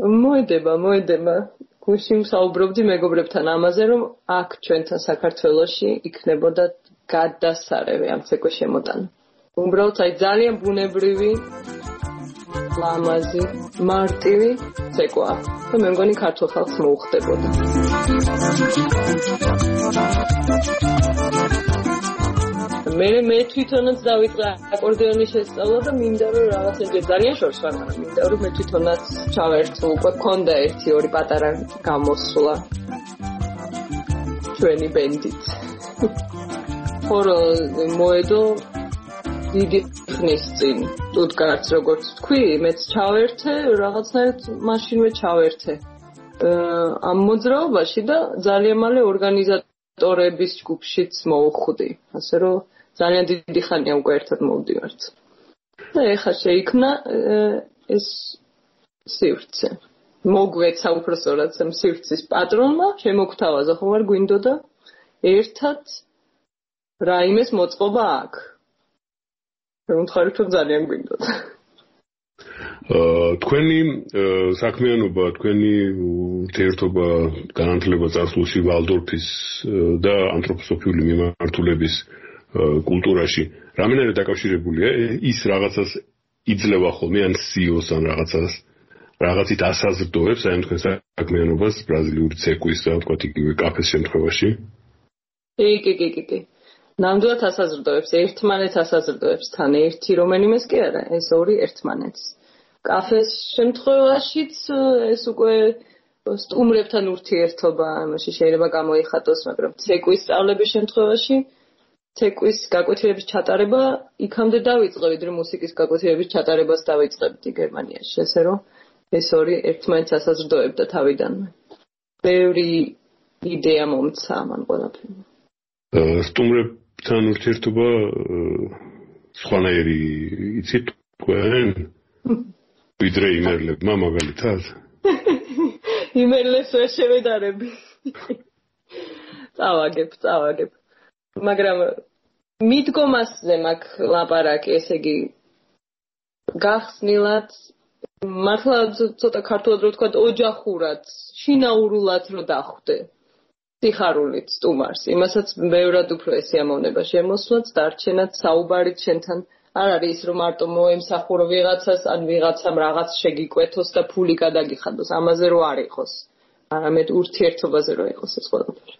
მოედება, მოედება. გუშინ საუბრობდი მეგობრებთან ამაზე, რომ აქ ჩვენთან საქართველოში იქნებოდა გადასარევი ამ ცეკვის შემოტანა. უბრალოდ აი ძალიან ბუნებრივი ლამაზი, მარტივი ცეკვა და მე მგონი ქართულ ხალხს მოუხდებოდა. მე მე თვითონაც დავიწყე აკორდეონის შესწავლა და მინდა რომ რაღაცა ძალიან შორს ვარ, მაგრამ მინდა რომ მე თვითონაც ჩავერთო, უკვე მქონდა ერთი ორი პატარა გამოსვლა ჩვენი ბენდით. ხორო მოედო დიდი ხნის წინ შტუტგარტს როგორც თქვი, მეც ჩავერთე, რაღაცნაირად მაშინვე ჩავერთე ამ მოძრაობაში და ძალიან მალე ორგანიზატორების ჯგუფშიც მოვხვდი, ასე რომ ძალიან დიდი ხანია უკვე ერთად მოვდივართ. და ეხლა შეიქმნა ეს სივრცე. მოგვეცა უბრალოდ ამ სივრცის პატრონმა, შემოგთავაზა ხომ არ გვინდოდა ერთად რაიმეს მოწყობა აქ. მომხარეთ ძალიან გვინდოდა. აა თქვენი საქმიანობა, თქვენი ურთიერთობა განათლება წარსულში ვალდორფის და ანთროპოსოფიული მიმართულების კულტურაში რამენერე დაკავშირებულია? ის რაღაცას იძლევა ხოლმე ან სიოს ან რაღაცას რაღაცით ასაზრდოებს აი თქვენ საქმიანობას ბრაზილიური ცეკვის და თქვა იგივე კაფეს შემთხვევაში? კი, კი, კი, კი. ნამდვილად ასაზრდოებს, ერთმანეთს ასაზრდოებს თან ერთი რომელიმეს კი არა, ეს ორი ერთმანეთს. კაფეს შემთხვევაშიც ეს უკვე სტუმრებთან ურთიერთობა, ამაში შეიძლება გამოიხატოს, მაგრამ ცეკვის სწავლების შემთხვევაში ცეკვის გაკვეთილების ჩატარება იქამდე დავიწყე, ვიდრე მუსიკის გაკვეთილების ჩატარებას დავიწყებდი გერმანიაში, ასე რომ ეს ორი ერთმანეთს ასაზრდოებდა თავიდანვე. ბევრი იდეა მომცა მან ყველაფერმა. სტუმრებთან ურთიერთობა სხვანაირი იცით თქვენ? ვიდრე იმერლებმა მაგალითად? იმერლებს ვერ შევედარები. წავაგებ, წავაგებ. მაგრამ მიდგომასზე მაქვს ლაპარაკი, ესე იგი გახსნილად მართლა ცოტა ქართულად რო ვთქვა, ოჯახურად, შინაურულად რო დახვდე. სიხარულით სტუმარს, იმასაც ბევრად უფრო ესიამოვნება შემოსვლაც, დარჩენად საუბარით შენთან არ არის ის რომ მარტო მოემსახურო ვიღაცას, ან ვიღაცამ რაღაც შეგიკვეთოს და ფული გადაგიხადოს, ამაზე რო არ იყოს, არამედ ურთიერთობაზე რო იყოს ეს ყველაფერი.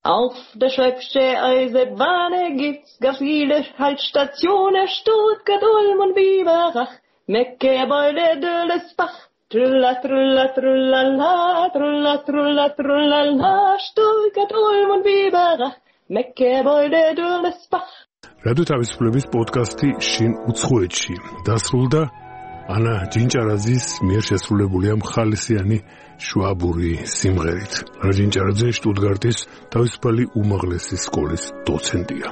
Auf der Schwäbische Eisenbahn gibt's gar viele Haltstationen, Stuttgart, Ulm und Biberach, Mecke, Beule, Döllesbach. Trulla, trulla, trullala, trulla, trulla, trullala, Stuttgart, Ulm und Biberach, Mecke, Beule, Döllesbach. რადიო თავისუფლების პოდკასტი შინ უცხოეთში დასრულდა ანა ჯინჭარაძის მიერ შესრულებული ამ ხალისიანი შვაბური სიმღერით. ანა ჯინჭარაძე შტუტგარტის თავისუფალი უმაღლესი სკოლის დოცენტია,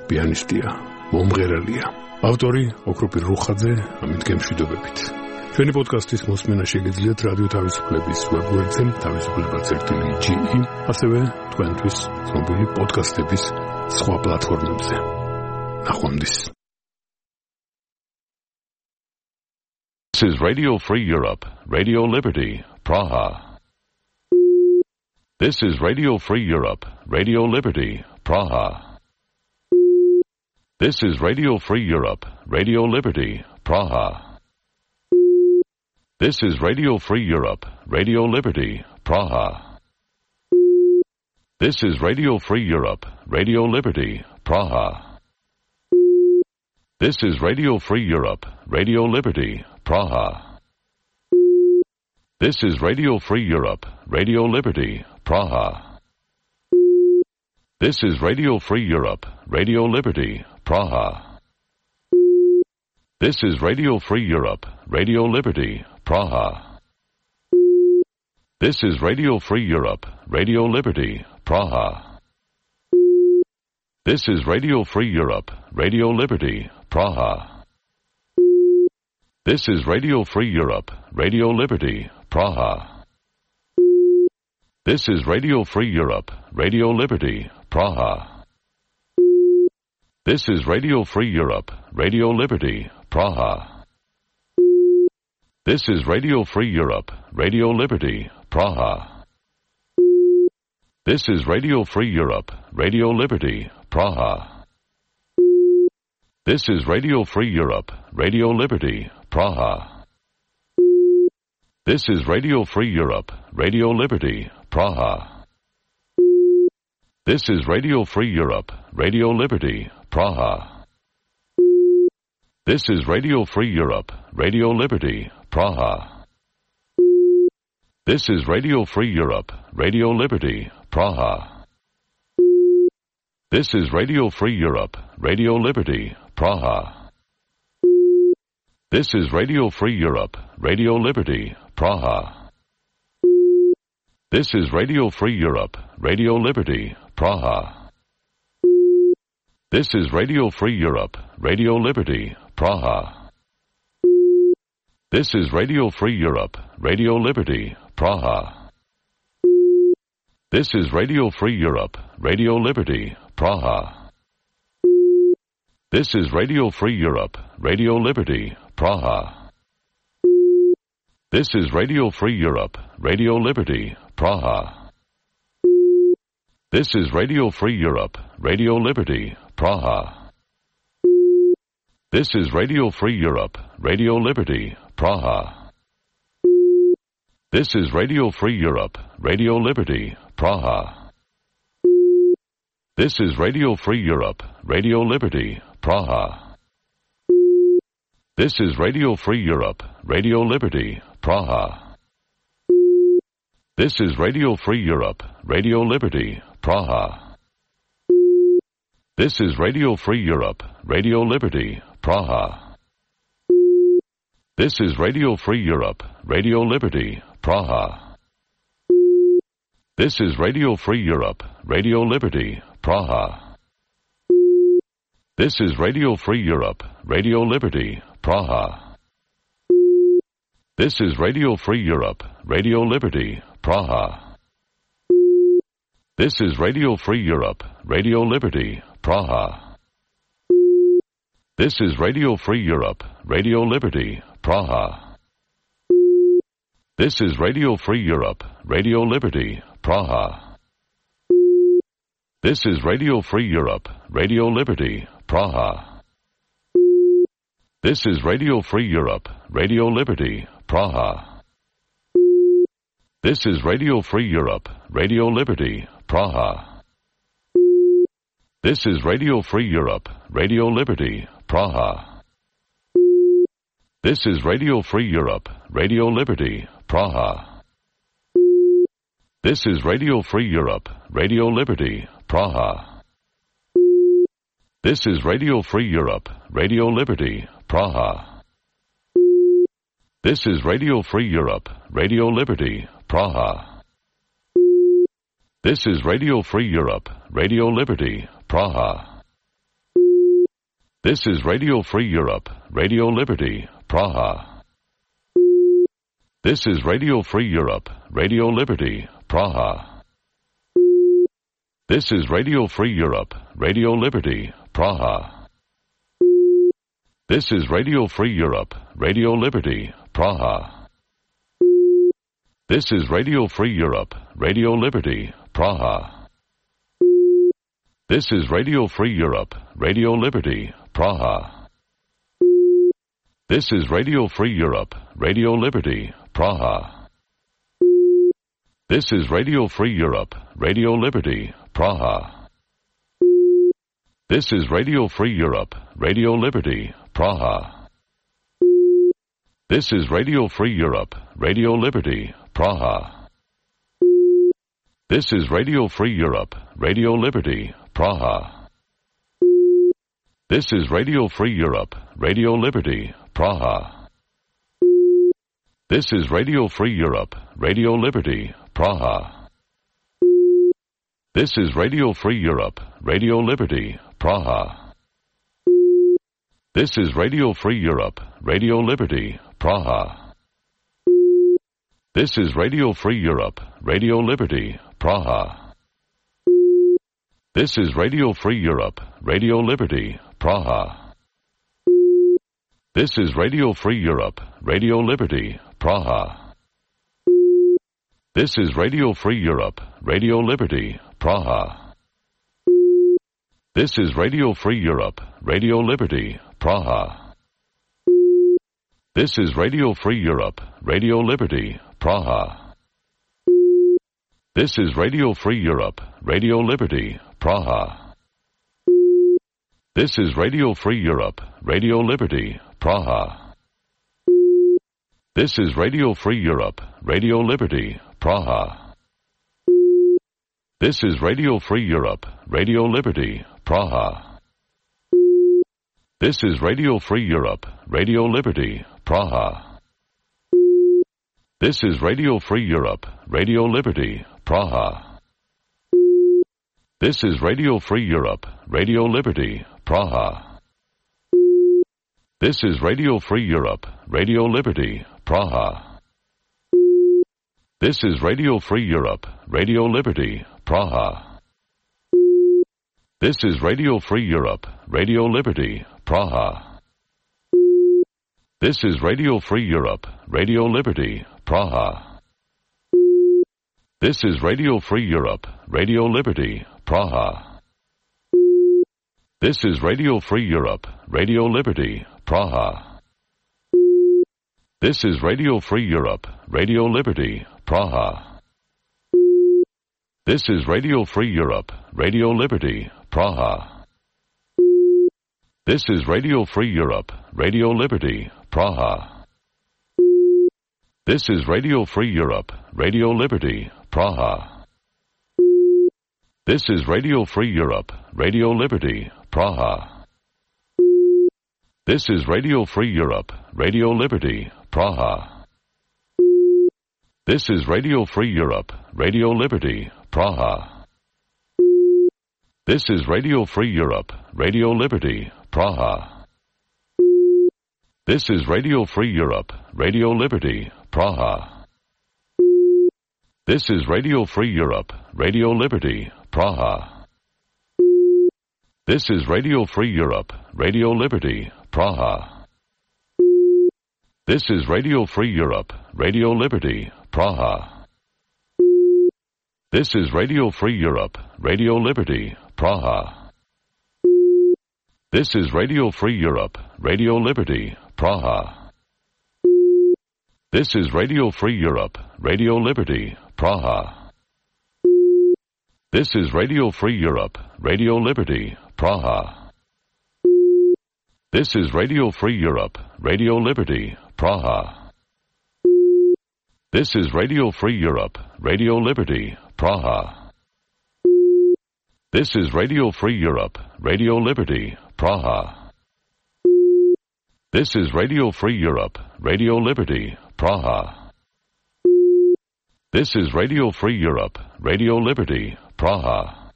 პიანისტია, მომღერალია. ავტორი ოქროპი რუხაძე, ამით გემშვიდობებით. ჩვენი პოდკასტის მოსმენა შეგიძლიათ რადიო თავისუფლების ვებგვერდზე თავისუფლება წერტილი ჯი ი, ასევე თქვენთვის ცნობილი პოდკასტების სხვა პლატფორმებზე. ნახვამდის. This is Radio Free Europe, Radio Liberty, Praha. This is Radio Free Europe, Radio Liberty, Praha. This is Radio Free Europe, Radio Liberty, Praha. This is Radio Free Europe, Radio Liberty, Praha. This is Radio Free Europe, Radio Liberty, Praha. This is Radio Free Europe, Radio Liberty, Praha. This is Radio Free Europe, Radio Liberty, Praha. This is Radio Free Europe, Radio Liberty, Praha. This is Radio Free Europe, Radio Liberty, Praha. This is Radio Free Europe, Radio Liberty, Praha. This is Radio Free Europe, Radio Liberty, Praha. This is Radio Free Europe, Radio Liberty, Praha. This is Radio Free Europe, Radio Liberty, Praha. This is Radio Free Europe, Radio Liberty, Praha. This is Radio Free Europe, Radio Liberty, Praha. This is Radio Free Europe, Radio Liberty, Praha. This is Radio Free Europe, Radio Liberty, Praha. This is Radio Free Europe, Radio Liberty, Praha. This is Radio Free Europe, Radio Liberty, Praha. This is Radio Free Europe, Radio Liberty, Praha. This is Radio Free Europe, Radio Liberty, Praha. This is Radio Free Europe, Radio Liberty, Praha. This is Radio Free Europe, Radio Liberty, Praha. This is Radio Free Europe, Radio Liberty, Praha. This is Radio Free Europe, Radio Liberty, Praha. This is Radio Free Europe, Radio Liberty, Praha. This is Radio Free Europe, Radio Liberty, Praha. This is Radio Free Europe, Radio Liberty, Praha. This is Radio Free Europe, Radio Liberty, Praha. This is Radio Free Europe, Radio Liberty, Praha. This is Radio Free Europe, Radio Liberty, Praha. This is Radio Free Europe, Radio Liberty, Praha. This is Radio Free Europe, Radio Liberty, Praha. This is Radio Free Europe, Radio Liberty, Praha. This is Radio Free Europe, Radio Liberty, Praha. This is Radio Free Europe, Radio Liberty, Praha. This is Radio Free Europe, Radio Liberty, Praha. This is Radio Free Europe, Radio Liberty, Praha. This is Radio Free Europe, Radio Liberty, Praha. This is Radio Free Europe, Radio Liberty, Praha. This is Radio Free Europe, Radio Liberty, Praha. This is Radio Free Europe, Radio Liberty, Praha. This is Radio Free Europe, Radio Liberty, Praha. This is Radio Free Europe, Radio Liberty, Praha. This is Radio Free Europe, Radio Liberty, Praha. This is Radio Free Europe, Radio Liberty, Praha. This is Radio Free Europe, Radio Liberty, Praha. This is Radio Free Europe, Radio Liberty, Praha. This is Radio Free Europe, Radio Liberty, Praha. This is Radio Free Europe, Radio Liberty, Praha. This is Radio Free Europe, Radio Liberty, Praha. This is Radio Free Europe, Radio Liberty, Praha. This is Radio Free Europe, Radio Liberty, Praha. This is Radio Free Europe, Radio Liberty, Praha. This is Radio Free Europe, Radio Liberty, Praha. This is Radio Free Europe, Radio Liberty, Praha. This is Radio Free Europe, Radio Liberty, Praha. This is Radio Free Europe, Radio Liberty, Praha. This is Radio Free Europe, Radio Liberty, Praha. This is Radio Free Europe, Radio Liberty, Praha. This is Radio Free Europe, Radio Liberty, Praha. This is Radio Free Europe, Radio Liberty, Praha. This is Radio Free Europe, Radio Liberty, Praha. This is Radio Free Europe, Radio Liberty, Praha. This is Radio Free Europe, Radio Liberty, Praha. This is Radio Free Europe, Radio Liberty, Praha. This is Radio Free Europe, Radio Liberty, Praha. This is Radio Free Europe, Radio Liberty, Praha. This is Radio Free Europe, Radio Liberty, Praha. This is Radio Free Europe, Radio Liberty, Praha. This is Radio Free Europe, Radio Liberty, Praha. This is Radio Free Europe, Radio Liberty, Praha. This is Radio Free Europe, Radio Liberty, Praha. This is Radio Free Europe, Radio Liberty, Praha. This is Radio Free Europe, Radio Liberty, Praha. This is Radio Free Europe, Radio Liberty, Praha. This is Radio Free Europe, Radio Liberty, Praha. This is Radio Free Europe, Radio Liberty, Praha. This is Radio Free Europe, Radio Liberty, Praha. This is Radio Free Europe, Radio Liberty, Praha. This is Radio Free Europe, Radio Liberty, Praha. This is Radio Free Europe, Radio Liberty, Praha. This is Radio Free Europe, Radio Liberty, Praha. This is Radio Free Europe, Radio Liberty, Praha. This is Radio Free Europe, Radio Liberty, Praha. This is Radio Free Europe, Radio Liberty, Praha. This is Radio Free Europe, Radio Liberty, Praha. This is Radio Free Europe, Radio Liberty, Praha. This is Radio Free Europe, Radio Liberty, Praha. This is Radio Free Europe, Radio Liberty, Praha. This is Radio Free Europe, Radio Liberty, Praha. This is Radio Free Europe, Radio Liberty, Praha. This is Radio Free Europe, Radio Liberty, Praha. This is Radio Free Europe, Radio Liberty, Praha. This is Radio Free Europe, Radio Liberty, Praha. This is Radio Free Europe, Radio Liberty, Praha. This is Radio Free Europe, Radio Liberty, Praha. This is Radio Free Europe, Radio Liberty, Praha. This is Radio Free Europe, Radio Liberty, Praha. This is Radio Free Europe, Radio Liberty, Praha. This is Radio Free Europe, Radio Liberty, Praha. This is Radio Free Europe, Radio Liberty, Praha. This is Radio Free Europe, Radio Liberty, Praha. This is Radio Free Europe, Radio Liberty, Praha. This is Radio Free Europe, Radio Liberty, Praha. This is Radio Free Europe, Radio Liberty, Praha. This is Radio Free Europe, Radio Liberty, Praha.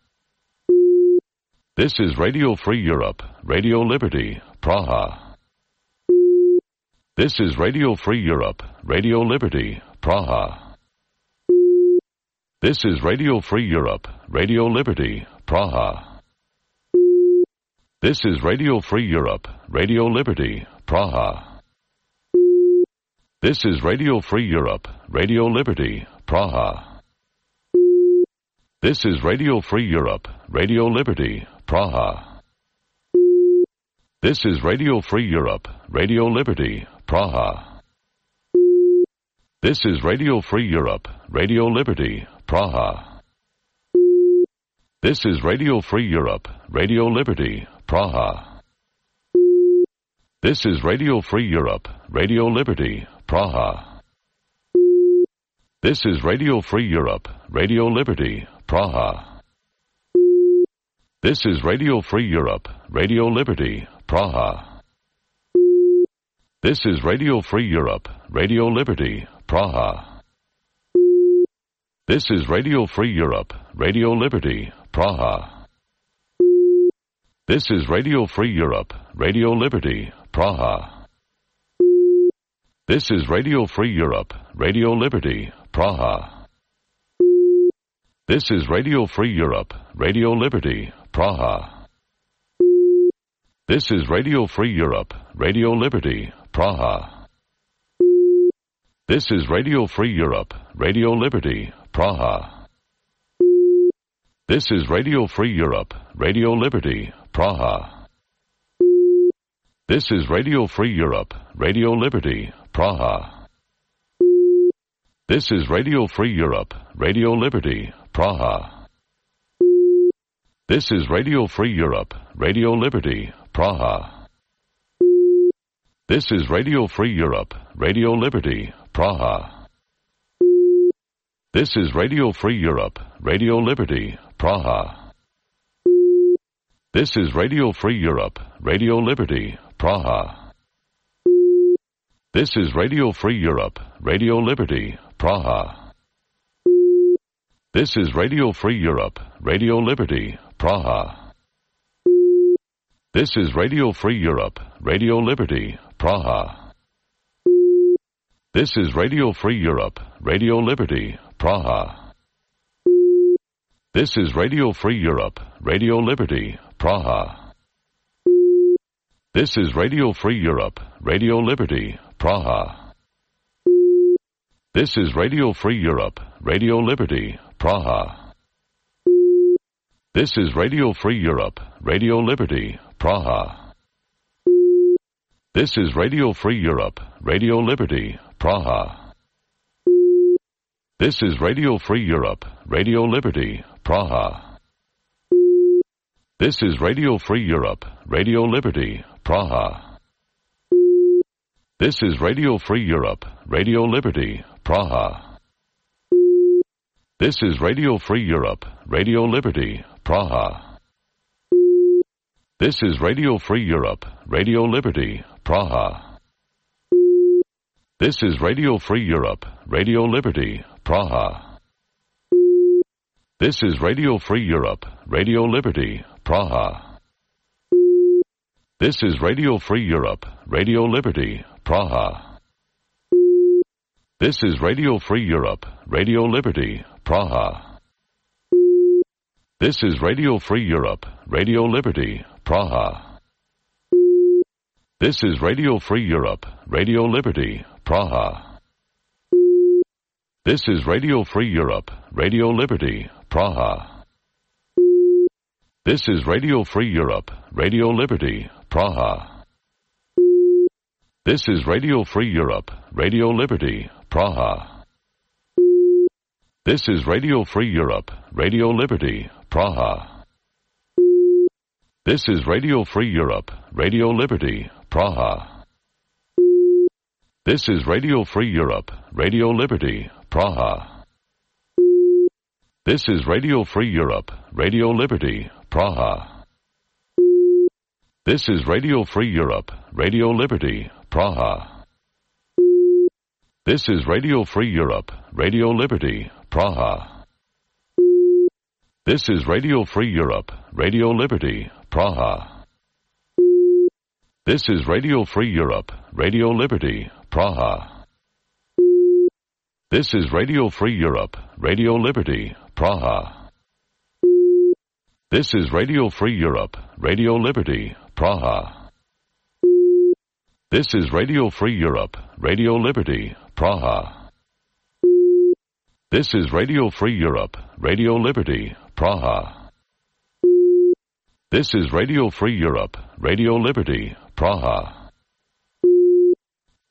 This is Radio Free Europe, Radio Liberty, Praha. This is Radio Free Europe, Radio Liberty, Praha. This is Radio Free Europe, Radio Liberty, Praha. This is Radio Free Europe, Radio Liberty, Praha. This is Radio Free Europe, Radio Liberty, Praha. This is Radio Free Europe, Radio Liberty, Praha. This is Radio Free Europe, Radio Liberty, Praha. This is Radio Free Europe, Radio Liberty, Praha. This is Radio Free Europe, Radio Liberty, Praha. This is Radio Free Europe, Radio Liberty, Praha. This is Radio Free Europe, Radio Liberty, Praha. This is Radio Free Europe, Radio Liberty, Praha. This is Radio Free Europe, Radio Liberty, Praha. This is Radio Free Europe, Radio Liberty, Praha. This is Radio Free Europe, Radio Liberty, Praha. This is Radio Free Europe, Radio Liberty, Praha. This is Radio Free Europe, Radio Liberty, Praha. This is Radio Free Europe, Radio Liberty, Praha. This is Radio Free Europe, Radio Liberty, Praha. This is Radio Free Europe, Radio Liberty, Praha. This is Radio Free Europe, Radio Liberty, Praha. This is Radio Free Europe, Radio Liberty, Praha. This is Radio Free Europe, Radio Liberty, Praha. This is Radio Free Europe, Radio Liberty, Praha. This is Radio Free Europe, Radio Liberty, Praha. This is Radio Free Europe, Radio Liberty, Praha. This is Radio Free Europe, Radio Liberty, Praha. This is Radio Free Europe, Radio Liberty, Praha. This is Radio Free Europe, Radio Liberty, Praha. This is Radio Free Europe, Radio Liberty, Praha. This is Radio Free Europe, Radio Liberty, Praha. This is Radio Free Europe, Radio Liberty, Praha. This is Radio Free Europe, Radio Liberty, Praha. This is Radio Free Europe, Radio Liberty, Praha. This is Radio Free Europe, Radio Liberty, Praha. This is Radio Free Europe, Radio Liberty, Praha. This is Radio Free Europe, Radio Liberty, Praha. This is Radio Free Europe, Radio Liberty, Praha. This is Radio Free Europe, Radio Liberty, Praha. This is Radio Free Europe, Radio Liberty, Praha. This is Radio Free Europe, Radio Liberty, Praha. This is Radio Free Europe, Radio Liberty, Praha. This is Radio Free Europe, Radio Liberty, Praha. This is Radio Free Europe, Radio Liberty, Praha. This is Radio Free Europe, Radio Liberty, Praha. This is Radio Free Europe, Radio Liberty, Praha. This is Radio Free Europe, Radio Liberty, Praha. This is Radio Free Europe, Radio Liberty, Praha. This is Radio Free Europe, Radio Liberty, Praha. This is Radio Free Europe, Radio Liberty, Praha. This is Radio Free Europe, Radio Liberty, Praha. This is Radio Free Europe, Radio Liberty, Praha. This is Radio Free Europe, Radio Liberty, Praha. This is Radio Free Europe, Radio Liberty, Praha. This is Radio Free Europe, Radio Liberty, Praha. This is Radio Free Europe, Radio Liberty, Praha. This is Radio Free Europe, Radio Liberty, Praha. This is Radio Free Europe, Radio Liberty, Praha. This is Radio Free Europe, Radio Liberty, Praha. This is Radio Free Europe, Radio Liberty, Praha. This is Radio Free Europe, Radio Liberty, Praha. This is Radio Free Europe, Radio Liberty, Praha.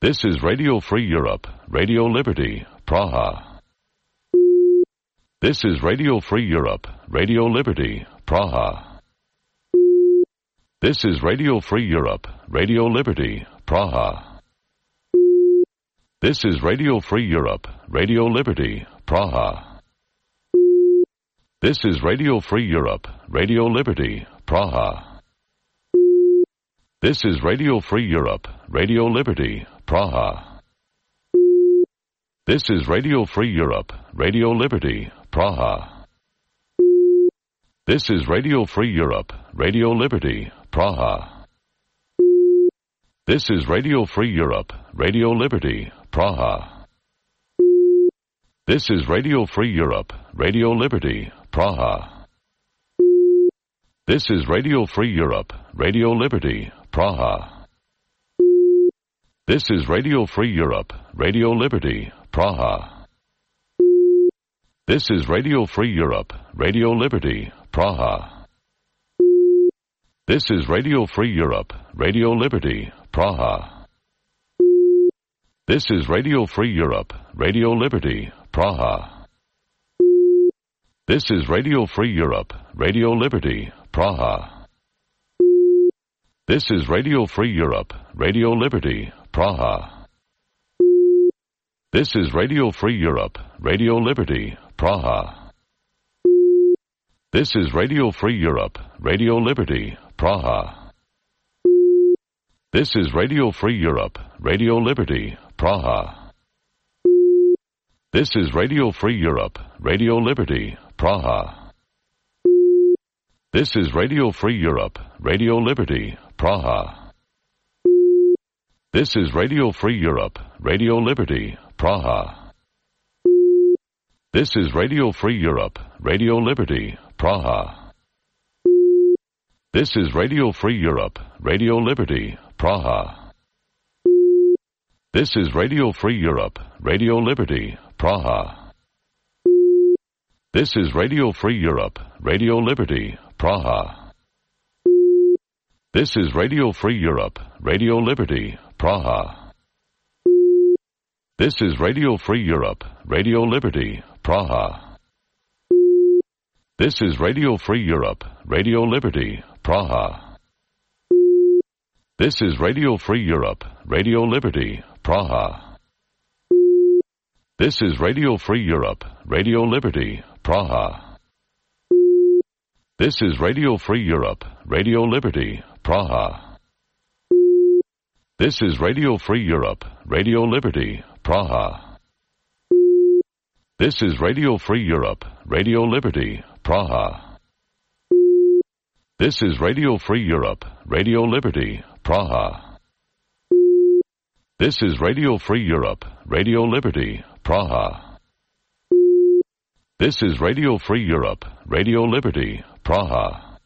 This is Radio Free Europe, Radio Liberty, Praha. This is Radio Free Europe, Radio Liberty, Praha. This is Radio Free Europe, Radio Liberty, Praha. This is Radio Free Europe, Radio Liberty, Praha. This is Radio Free Europe, Radio Liberty, Praha. This is Radio Free Europe, Radio Liberty, Praha. This is Radio Free Europe, Radio Liberty, Praha. This is Radio Free Europe, Radio Liberty, Praha. This is Radio Free Europe, Radio Liberty, Praha. This is Radio Free Europe, Radio Liberty, Praha. This is Radio Free Europe, Radio Liberty, Praha. This is Radio Free Europe, Radio Liberty, Praha. This is Radio Free Europe, Radio Liberty, Praha. This is Radio Free Europe, Radio Liberty, Praha. This is Radio Free Europe, Radio Liberty, Praha. This is Radio Free Europe, Radio Liberty, Praha. This is Radio Free Europe, Radio Liberty, Praha. This is Radio Free Europe, Radio Liberty, Praha. This is Radio Free Europe, Radio Liberty, Praha. This is Radio Free Europe, Radio Liberty, Praha. This is Radio Free Europe, Radio Liberty, Praha. This is Radio Free Europe, Radio Liberty, Praha. This is Radio Free Europe, Radio Liberty, Praha. This is Radio Free Europe, Radio Liberty, Praha. This is Radio Free Europe, Radio Liberty, Praha. This is Radio Free Europe, Radio Liberty, Praha. This is Radio Free Europe, Radio Liberty, Praha. This is Radio Free Europe, Radio Liberty, Praha. This is Radio Free Europe, Radio Liberty, Praha. This is Radio Free Europe, Radio Liberty, Praha. This is Radio Free Europe, Radio Liberty, Praha. This is Radio Free Europe, Radio Liberty, Praha. This is Radio Free Europe, Radio Liberty, Praha. This is Radio Free Europe, Radio Liberty, Praha. This is Radio Free Europe, Radio Liberty, Praha. This is Radio Free Europe, Radio Liberty, Praha. This is Radio Free Europe, Radio Liberty, Praha. This is Radio Free Europe, Radio Liberty, Praha.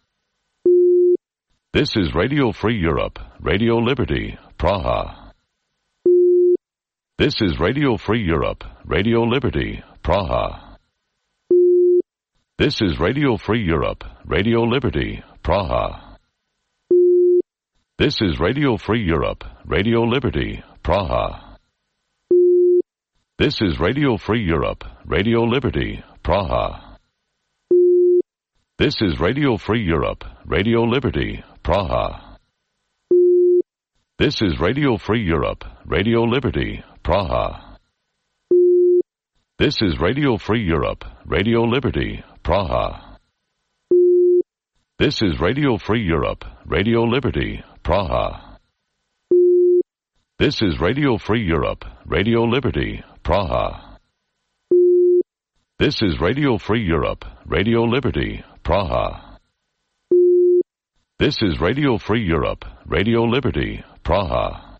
This is Radio Free Europe, Radio Liberty, Praha. This is Radio Free Europe, Radio Liberty, Praha. This is Radio Free Europe, Radio Liberty, Praha. This is Radio Free Europe, Radio Liberty, Praha. This is Radio Free Europe, Radio Liberty, Praha. This is Radio Free Europe, Radio Liberty, Praha. This is Radio Free Europe, Radio Liberty, Praha. This is Radio Free Europe, Radio Liberty, Praha. This is Radio Free Europe, Radio Liberty, Praha. This is Radio Free Europe, Radio Liberty, Praha. This is Radio Free Europe, Radio Liberty, Praha. This is Radio Free Europe, Radio Liberty, Praha.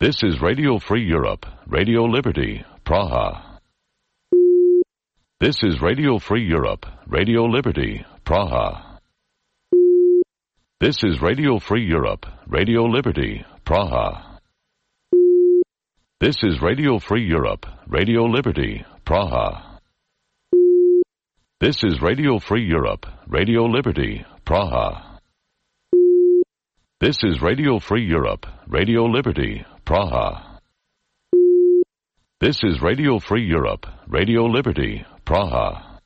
This is Radio Free Europe, Radio Liberty, Praha. This is Radio Free Europe, Radio Liberty, Praha. This is Radio Free Europe, Radio Liberty, Praha. This is Radio Free Europe, Radio Liberty, Praha. This is Radio Free Europe, Radio Liberty, Praha. This is Radio Free Europe, Radio Liberty, Praha. This is Radio Free Europe, Radio Liberty, Praha.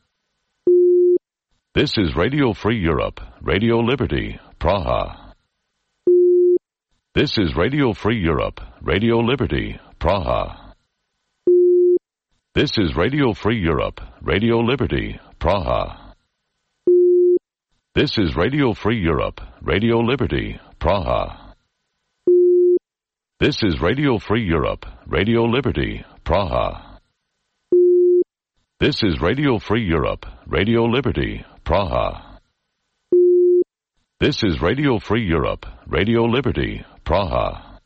This is Radio Free Europe, Radio Liberty, Praha. This is Radio Free Europe, Radio Liberty, Praha. This is Radio Free Europe, Radio Liberty, Praha. This is Radio Free Europe, Radio Liberty, Praha. This is Radio Free Europe, Radio Liberty, Praha. This is Radio Free Europe, Radio Liberty, Praha. This is Radio Free Europe, Radio Liberty, Praha.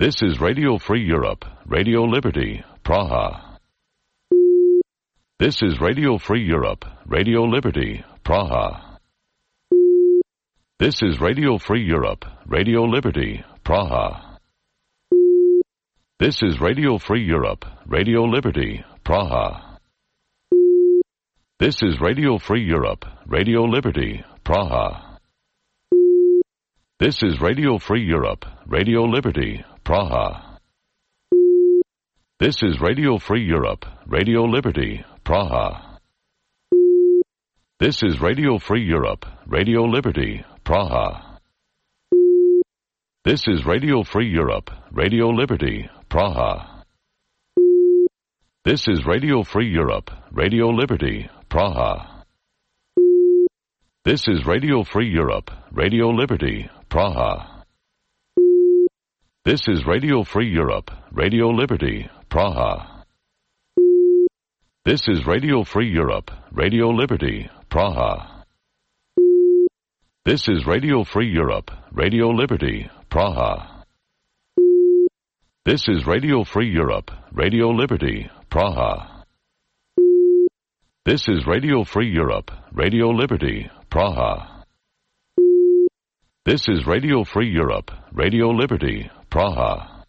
This is Radio Free Europe, Radio Liberty, Praha. This is Radio Free Europe, Radio Liberty, Praha. This is Radio Free Europe, Radio Liberty, Praha. This is Radio Free Europe, Radio Liberty, Praha. This is Radio Free Europe, Radio Liberty, Praha. This is Radio Free Europe, Radio Liberty, Praha. This is Radio Free Europe, Radio Liberty, Praha. This is Radio Free Europe, Radio Liberty, Praha. This is Radio Free Europe, Radio Liberty, Praha. This is Radio Free Europe, Radio Liberty, Praha. This is Radio Free Europe, Radio Liberty, Praha. This is Radio Free Europe, Radio Liberty, Praha. This is Radio Free Europe, Radio Liberty, Praha. This is Radio Free Europe, Radio Liberty, Praha. This is Radio Free Europe, Radio Liberty, Praha. This is Radio Free Europe, Radio Liberty, Praha. This is Radio Free Europe, Radio Liberty, Praha.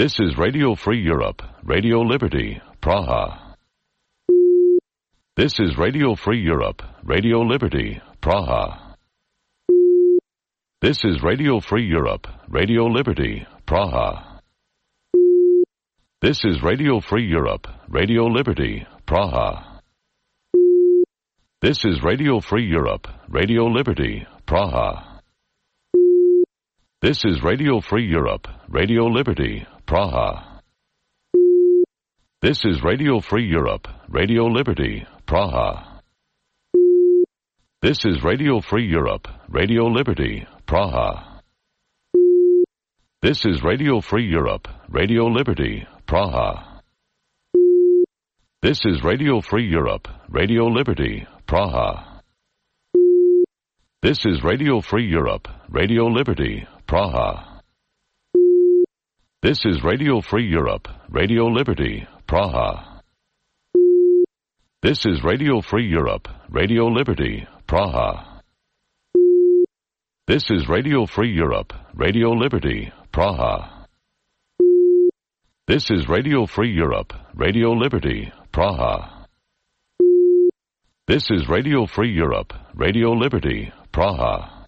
This is Radio Free Europe, Radio Liberty, Praha. This is Radio Free Europe, Radio Liberty, Praha. This is Radio Free Europe, Radio Liberty, Praha. This is Radio Free Europe, Radio Liberty, Praha. This is Radio Free Europe, Radio Liberty, Praha. This is Radio Free Europe, Radio Liberty, Praha. This is Radio Free Europe, Radio Liberty, Praha. This is Radio Free Europe, Radio Liberty, Praha. This is Radio Free Europe, Radio Liberty, Praha. This is Radio Free Europe, Radio Liberty, Praha. This is Radio Free Europe, Radio Liberty, Praha. This is Radio Free Europe, Radio Liberty, Praha. This is Radio Free Europe, Radio Liberty, Praha. This is Radio Free Europe, Radio Liberty, Praha. This is Radio Free Europe, Radio Liberty, Praha. This is Radio Free Europe, Radio Liberty, Praha.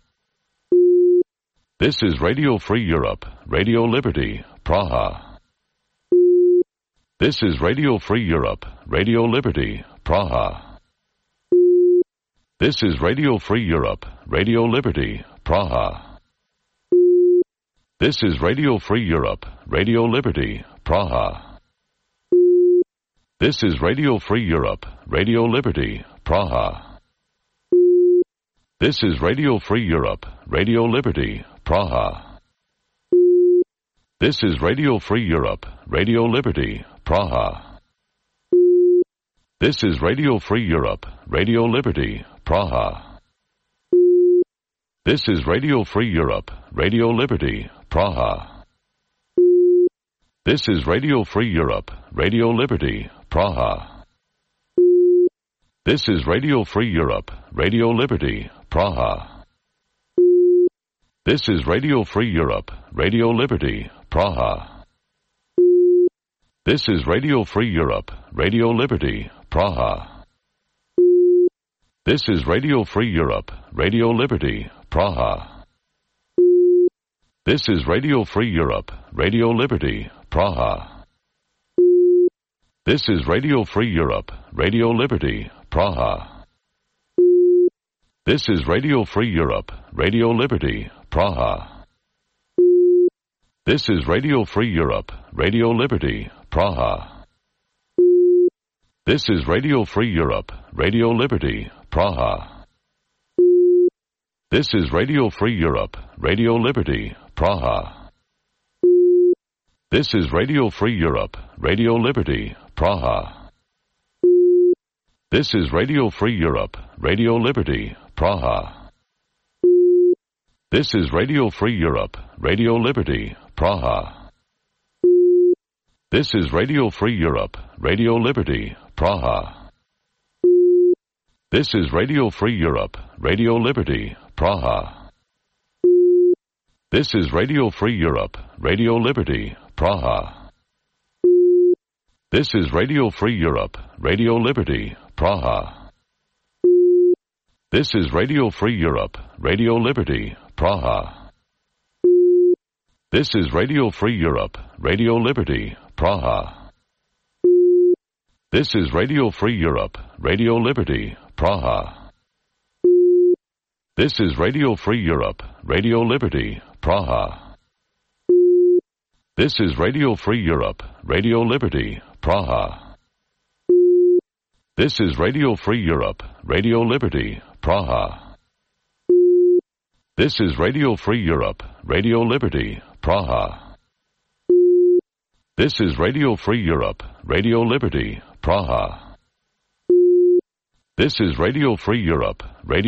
This is Radio Free Europe, Radio Liberty, Praha. This is Radio Free Europe, Radio Liberty, Praha. This is Radio Free Europe, Radio Liberty, Praha. This is Radio Free Europe, Radio Liberty, Praha. This is Radio Free Europe, Radio Liberty, Praha. This is Radio Free Europe, Radio Liberty, Praha. This is Radio Free Europe, Radio Liberty, Praha. This is Radio Free Europe, Radio Liberty, Praha. This is Radio Free Europe, Radio Liberty, Praha. This is Radio Free Europe, Radio Liberty, Praha. This is Radio Free Europe, Radio Liberty, Praha. This is Radio Free Europe, Radio Liberty, Praha. This is Radio Free Europe, Radio Liberty, Praha. This is Radio Free Europe, Radio Liberty, Praha. This is Radio Free Europe, Radio Liberty, Praha. This is Radio Free Europe, Radio Liberty, Praha. This is Radio Free Europe, Radio Liberty, Praha. This is Radio Free Europe, Radio Liberty, Praha. This is Radio Free Europe, Radio Liberty, Praha. This is Radio Free Europe, Radio Liberty, Praha. This is Radio Free Europe, Radio Liberty, Praha. This is Radio Free Europe, Radio Liberty, Praha. This is Radio Free Europe, Radio Liberty, Praha. This is Radio Free Europe, Radio Liberty, Praha. This is Radio Free Europe, Radio Liberty, Praha. This is Radio Free Europe, Radio Liberty, Praha. This is Radio Free Europe, Radio Liberty, Praha. This is Radio Free Europe, Radio Liberty, Praha. This is Radio Free Europe, Radio Liberty, Praha. This is Radio Free Europe, Radio Liberty, Praha. This is Radio Free Europe, Radio Liberty, Praha. This is Radio Free Europe, Radio Liberty, Praha. This is Radio Free Europe, Radio Liberty, Praha. This is Radio Free Europe, Radio Liberty, Praha. This is Radio Free Europe, Radio Liberty, Praha. This is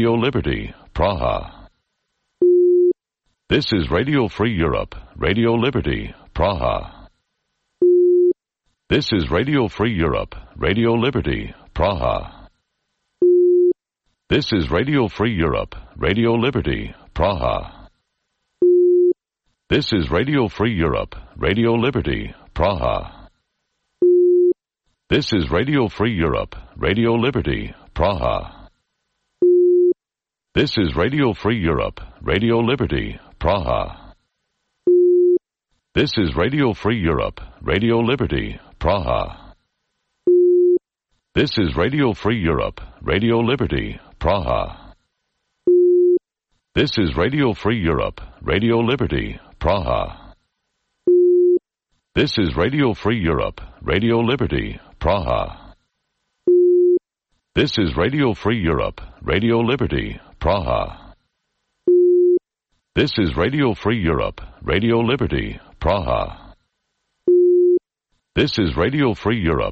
Radio Free Europe, Radio Liberty, Praha. This is Radio Free Europe, Radio Liberty, Praha. This is Radio Free Europe, Radio Liberty, Praha. This is Radio Free Europe, Radio Liberty, Praha. This is Radio Free Europe, Radio Liberty, Praha. This is Radio Free Europe, Radio Liberty, Praha. This is Radio Free Europe, Radio Liberty, Praha. This is Radio Free Europe, Radio Liberty, Praha. This is Radio Free Europe, Radio Liberty, Praha. This is Radio Free Europe, Radio Liberty, Praha. This is Radio Free Europe, Radio Liberty, Praha. This is Radio Free Europe, Radio Liberty, Praha. This is Radio Free Europe, Radio Liberty, Praha. This is Radio Free Europe,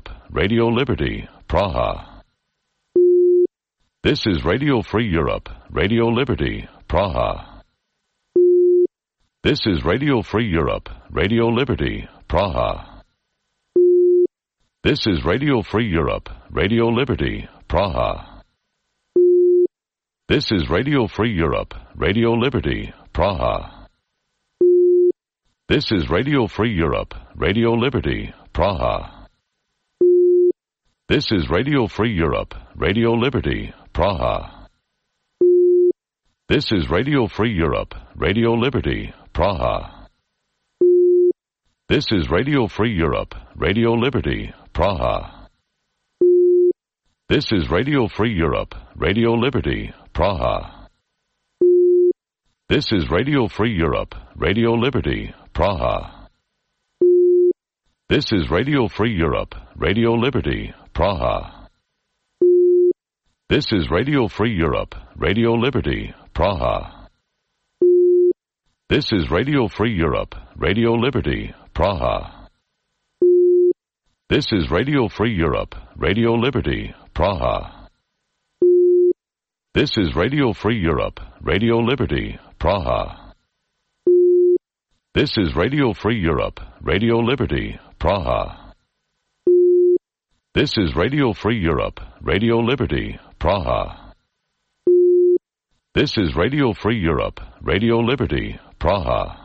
Radio Liberty, Praha. This is Radio Free Europe, Radio Liberty, Praha. This is Radio Free Europe, Radio Liberty, Praha. This is Radio Free Europe, Radio Liberty, Praha. This is Radio Free Europe, Radio Liberty, Praha. This is Radio Free Europe, Radio Liberty, Praha. This is Radio Free Europe, Radio Liberty, Praha. This is Radio Free Europe, Radio Liberty, Praha. This is Radio Free Europe, Radio Liberty, Praha. This is Radio Free Europe, Radio Liberty, Praha. This is Radio Free Europe, Radio Liberty, Praha. This is Radio Free Europe, Radio Liberty, Praha. This is Radio Free Europe, Radio Liberty, Praha. This is Radio Free Europe, Radio Liberty, Praha. This is Radio Free Europe, Radio Liberty, Praha. This is Radio Free Europe, Radio Liberty, Praha. This is Radio Free Europe, Radio Liberty, Praha. This is Radio Free Europe, Radio Liberty, Praha. This is Radio Free Europe, Radio Liberty, Praha.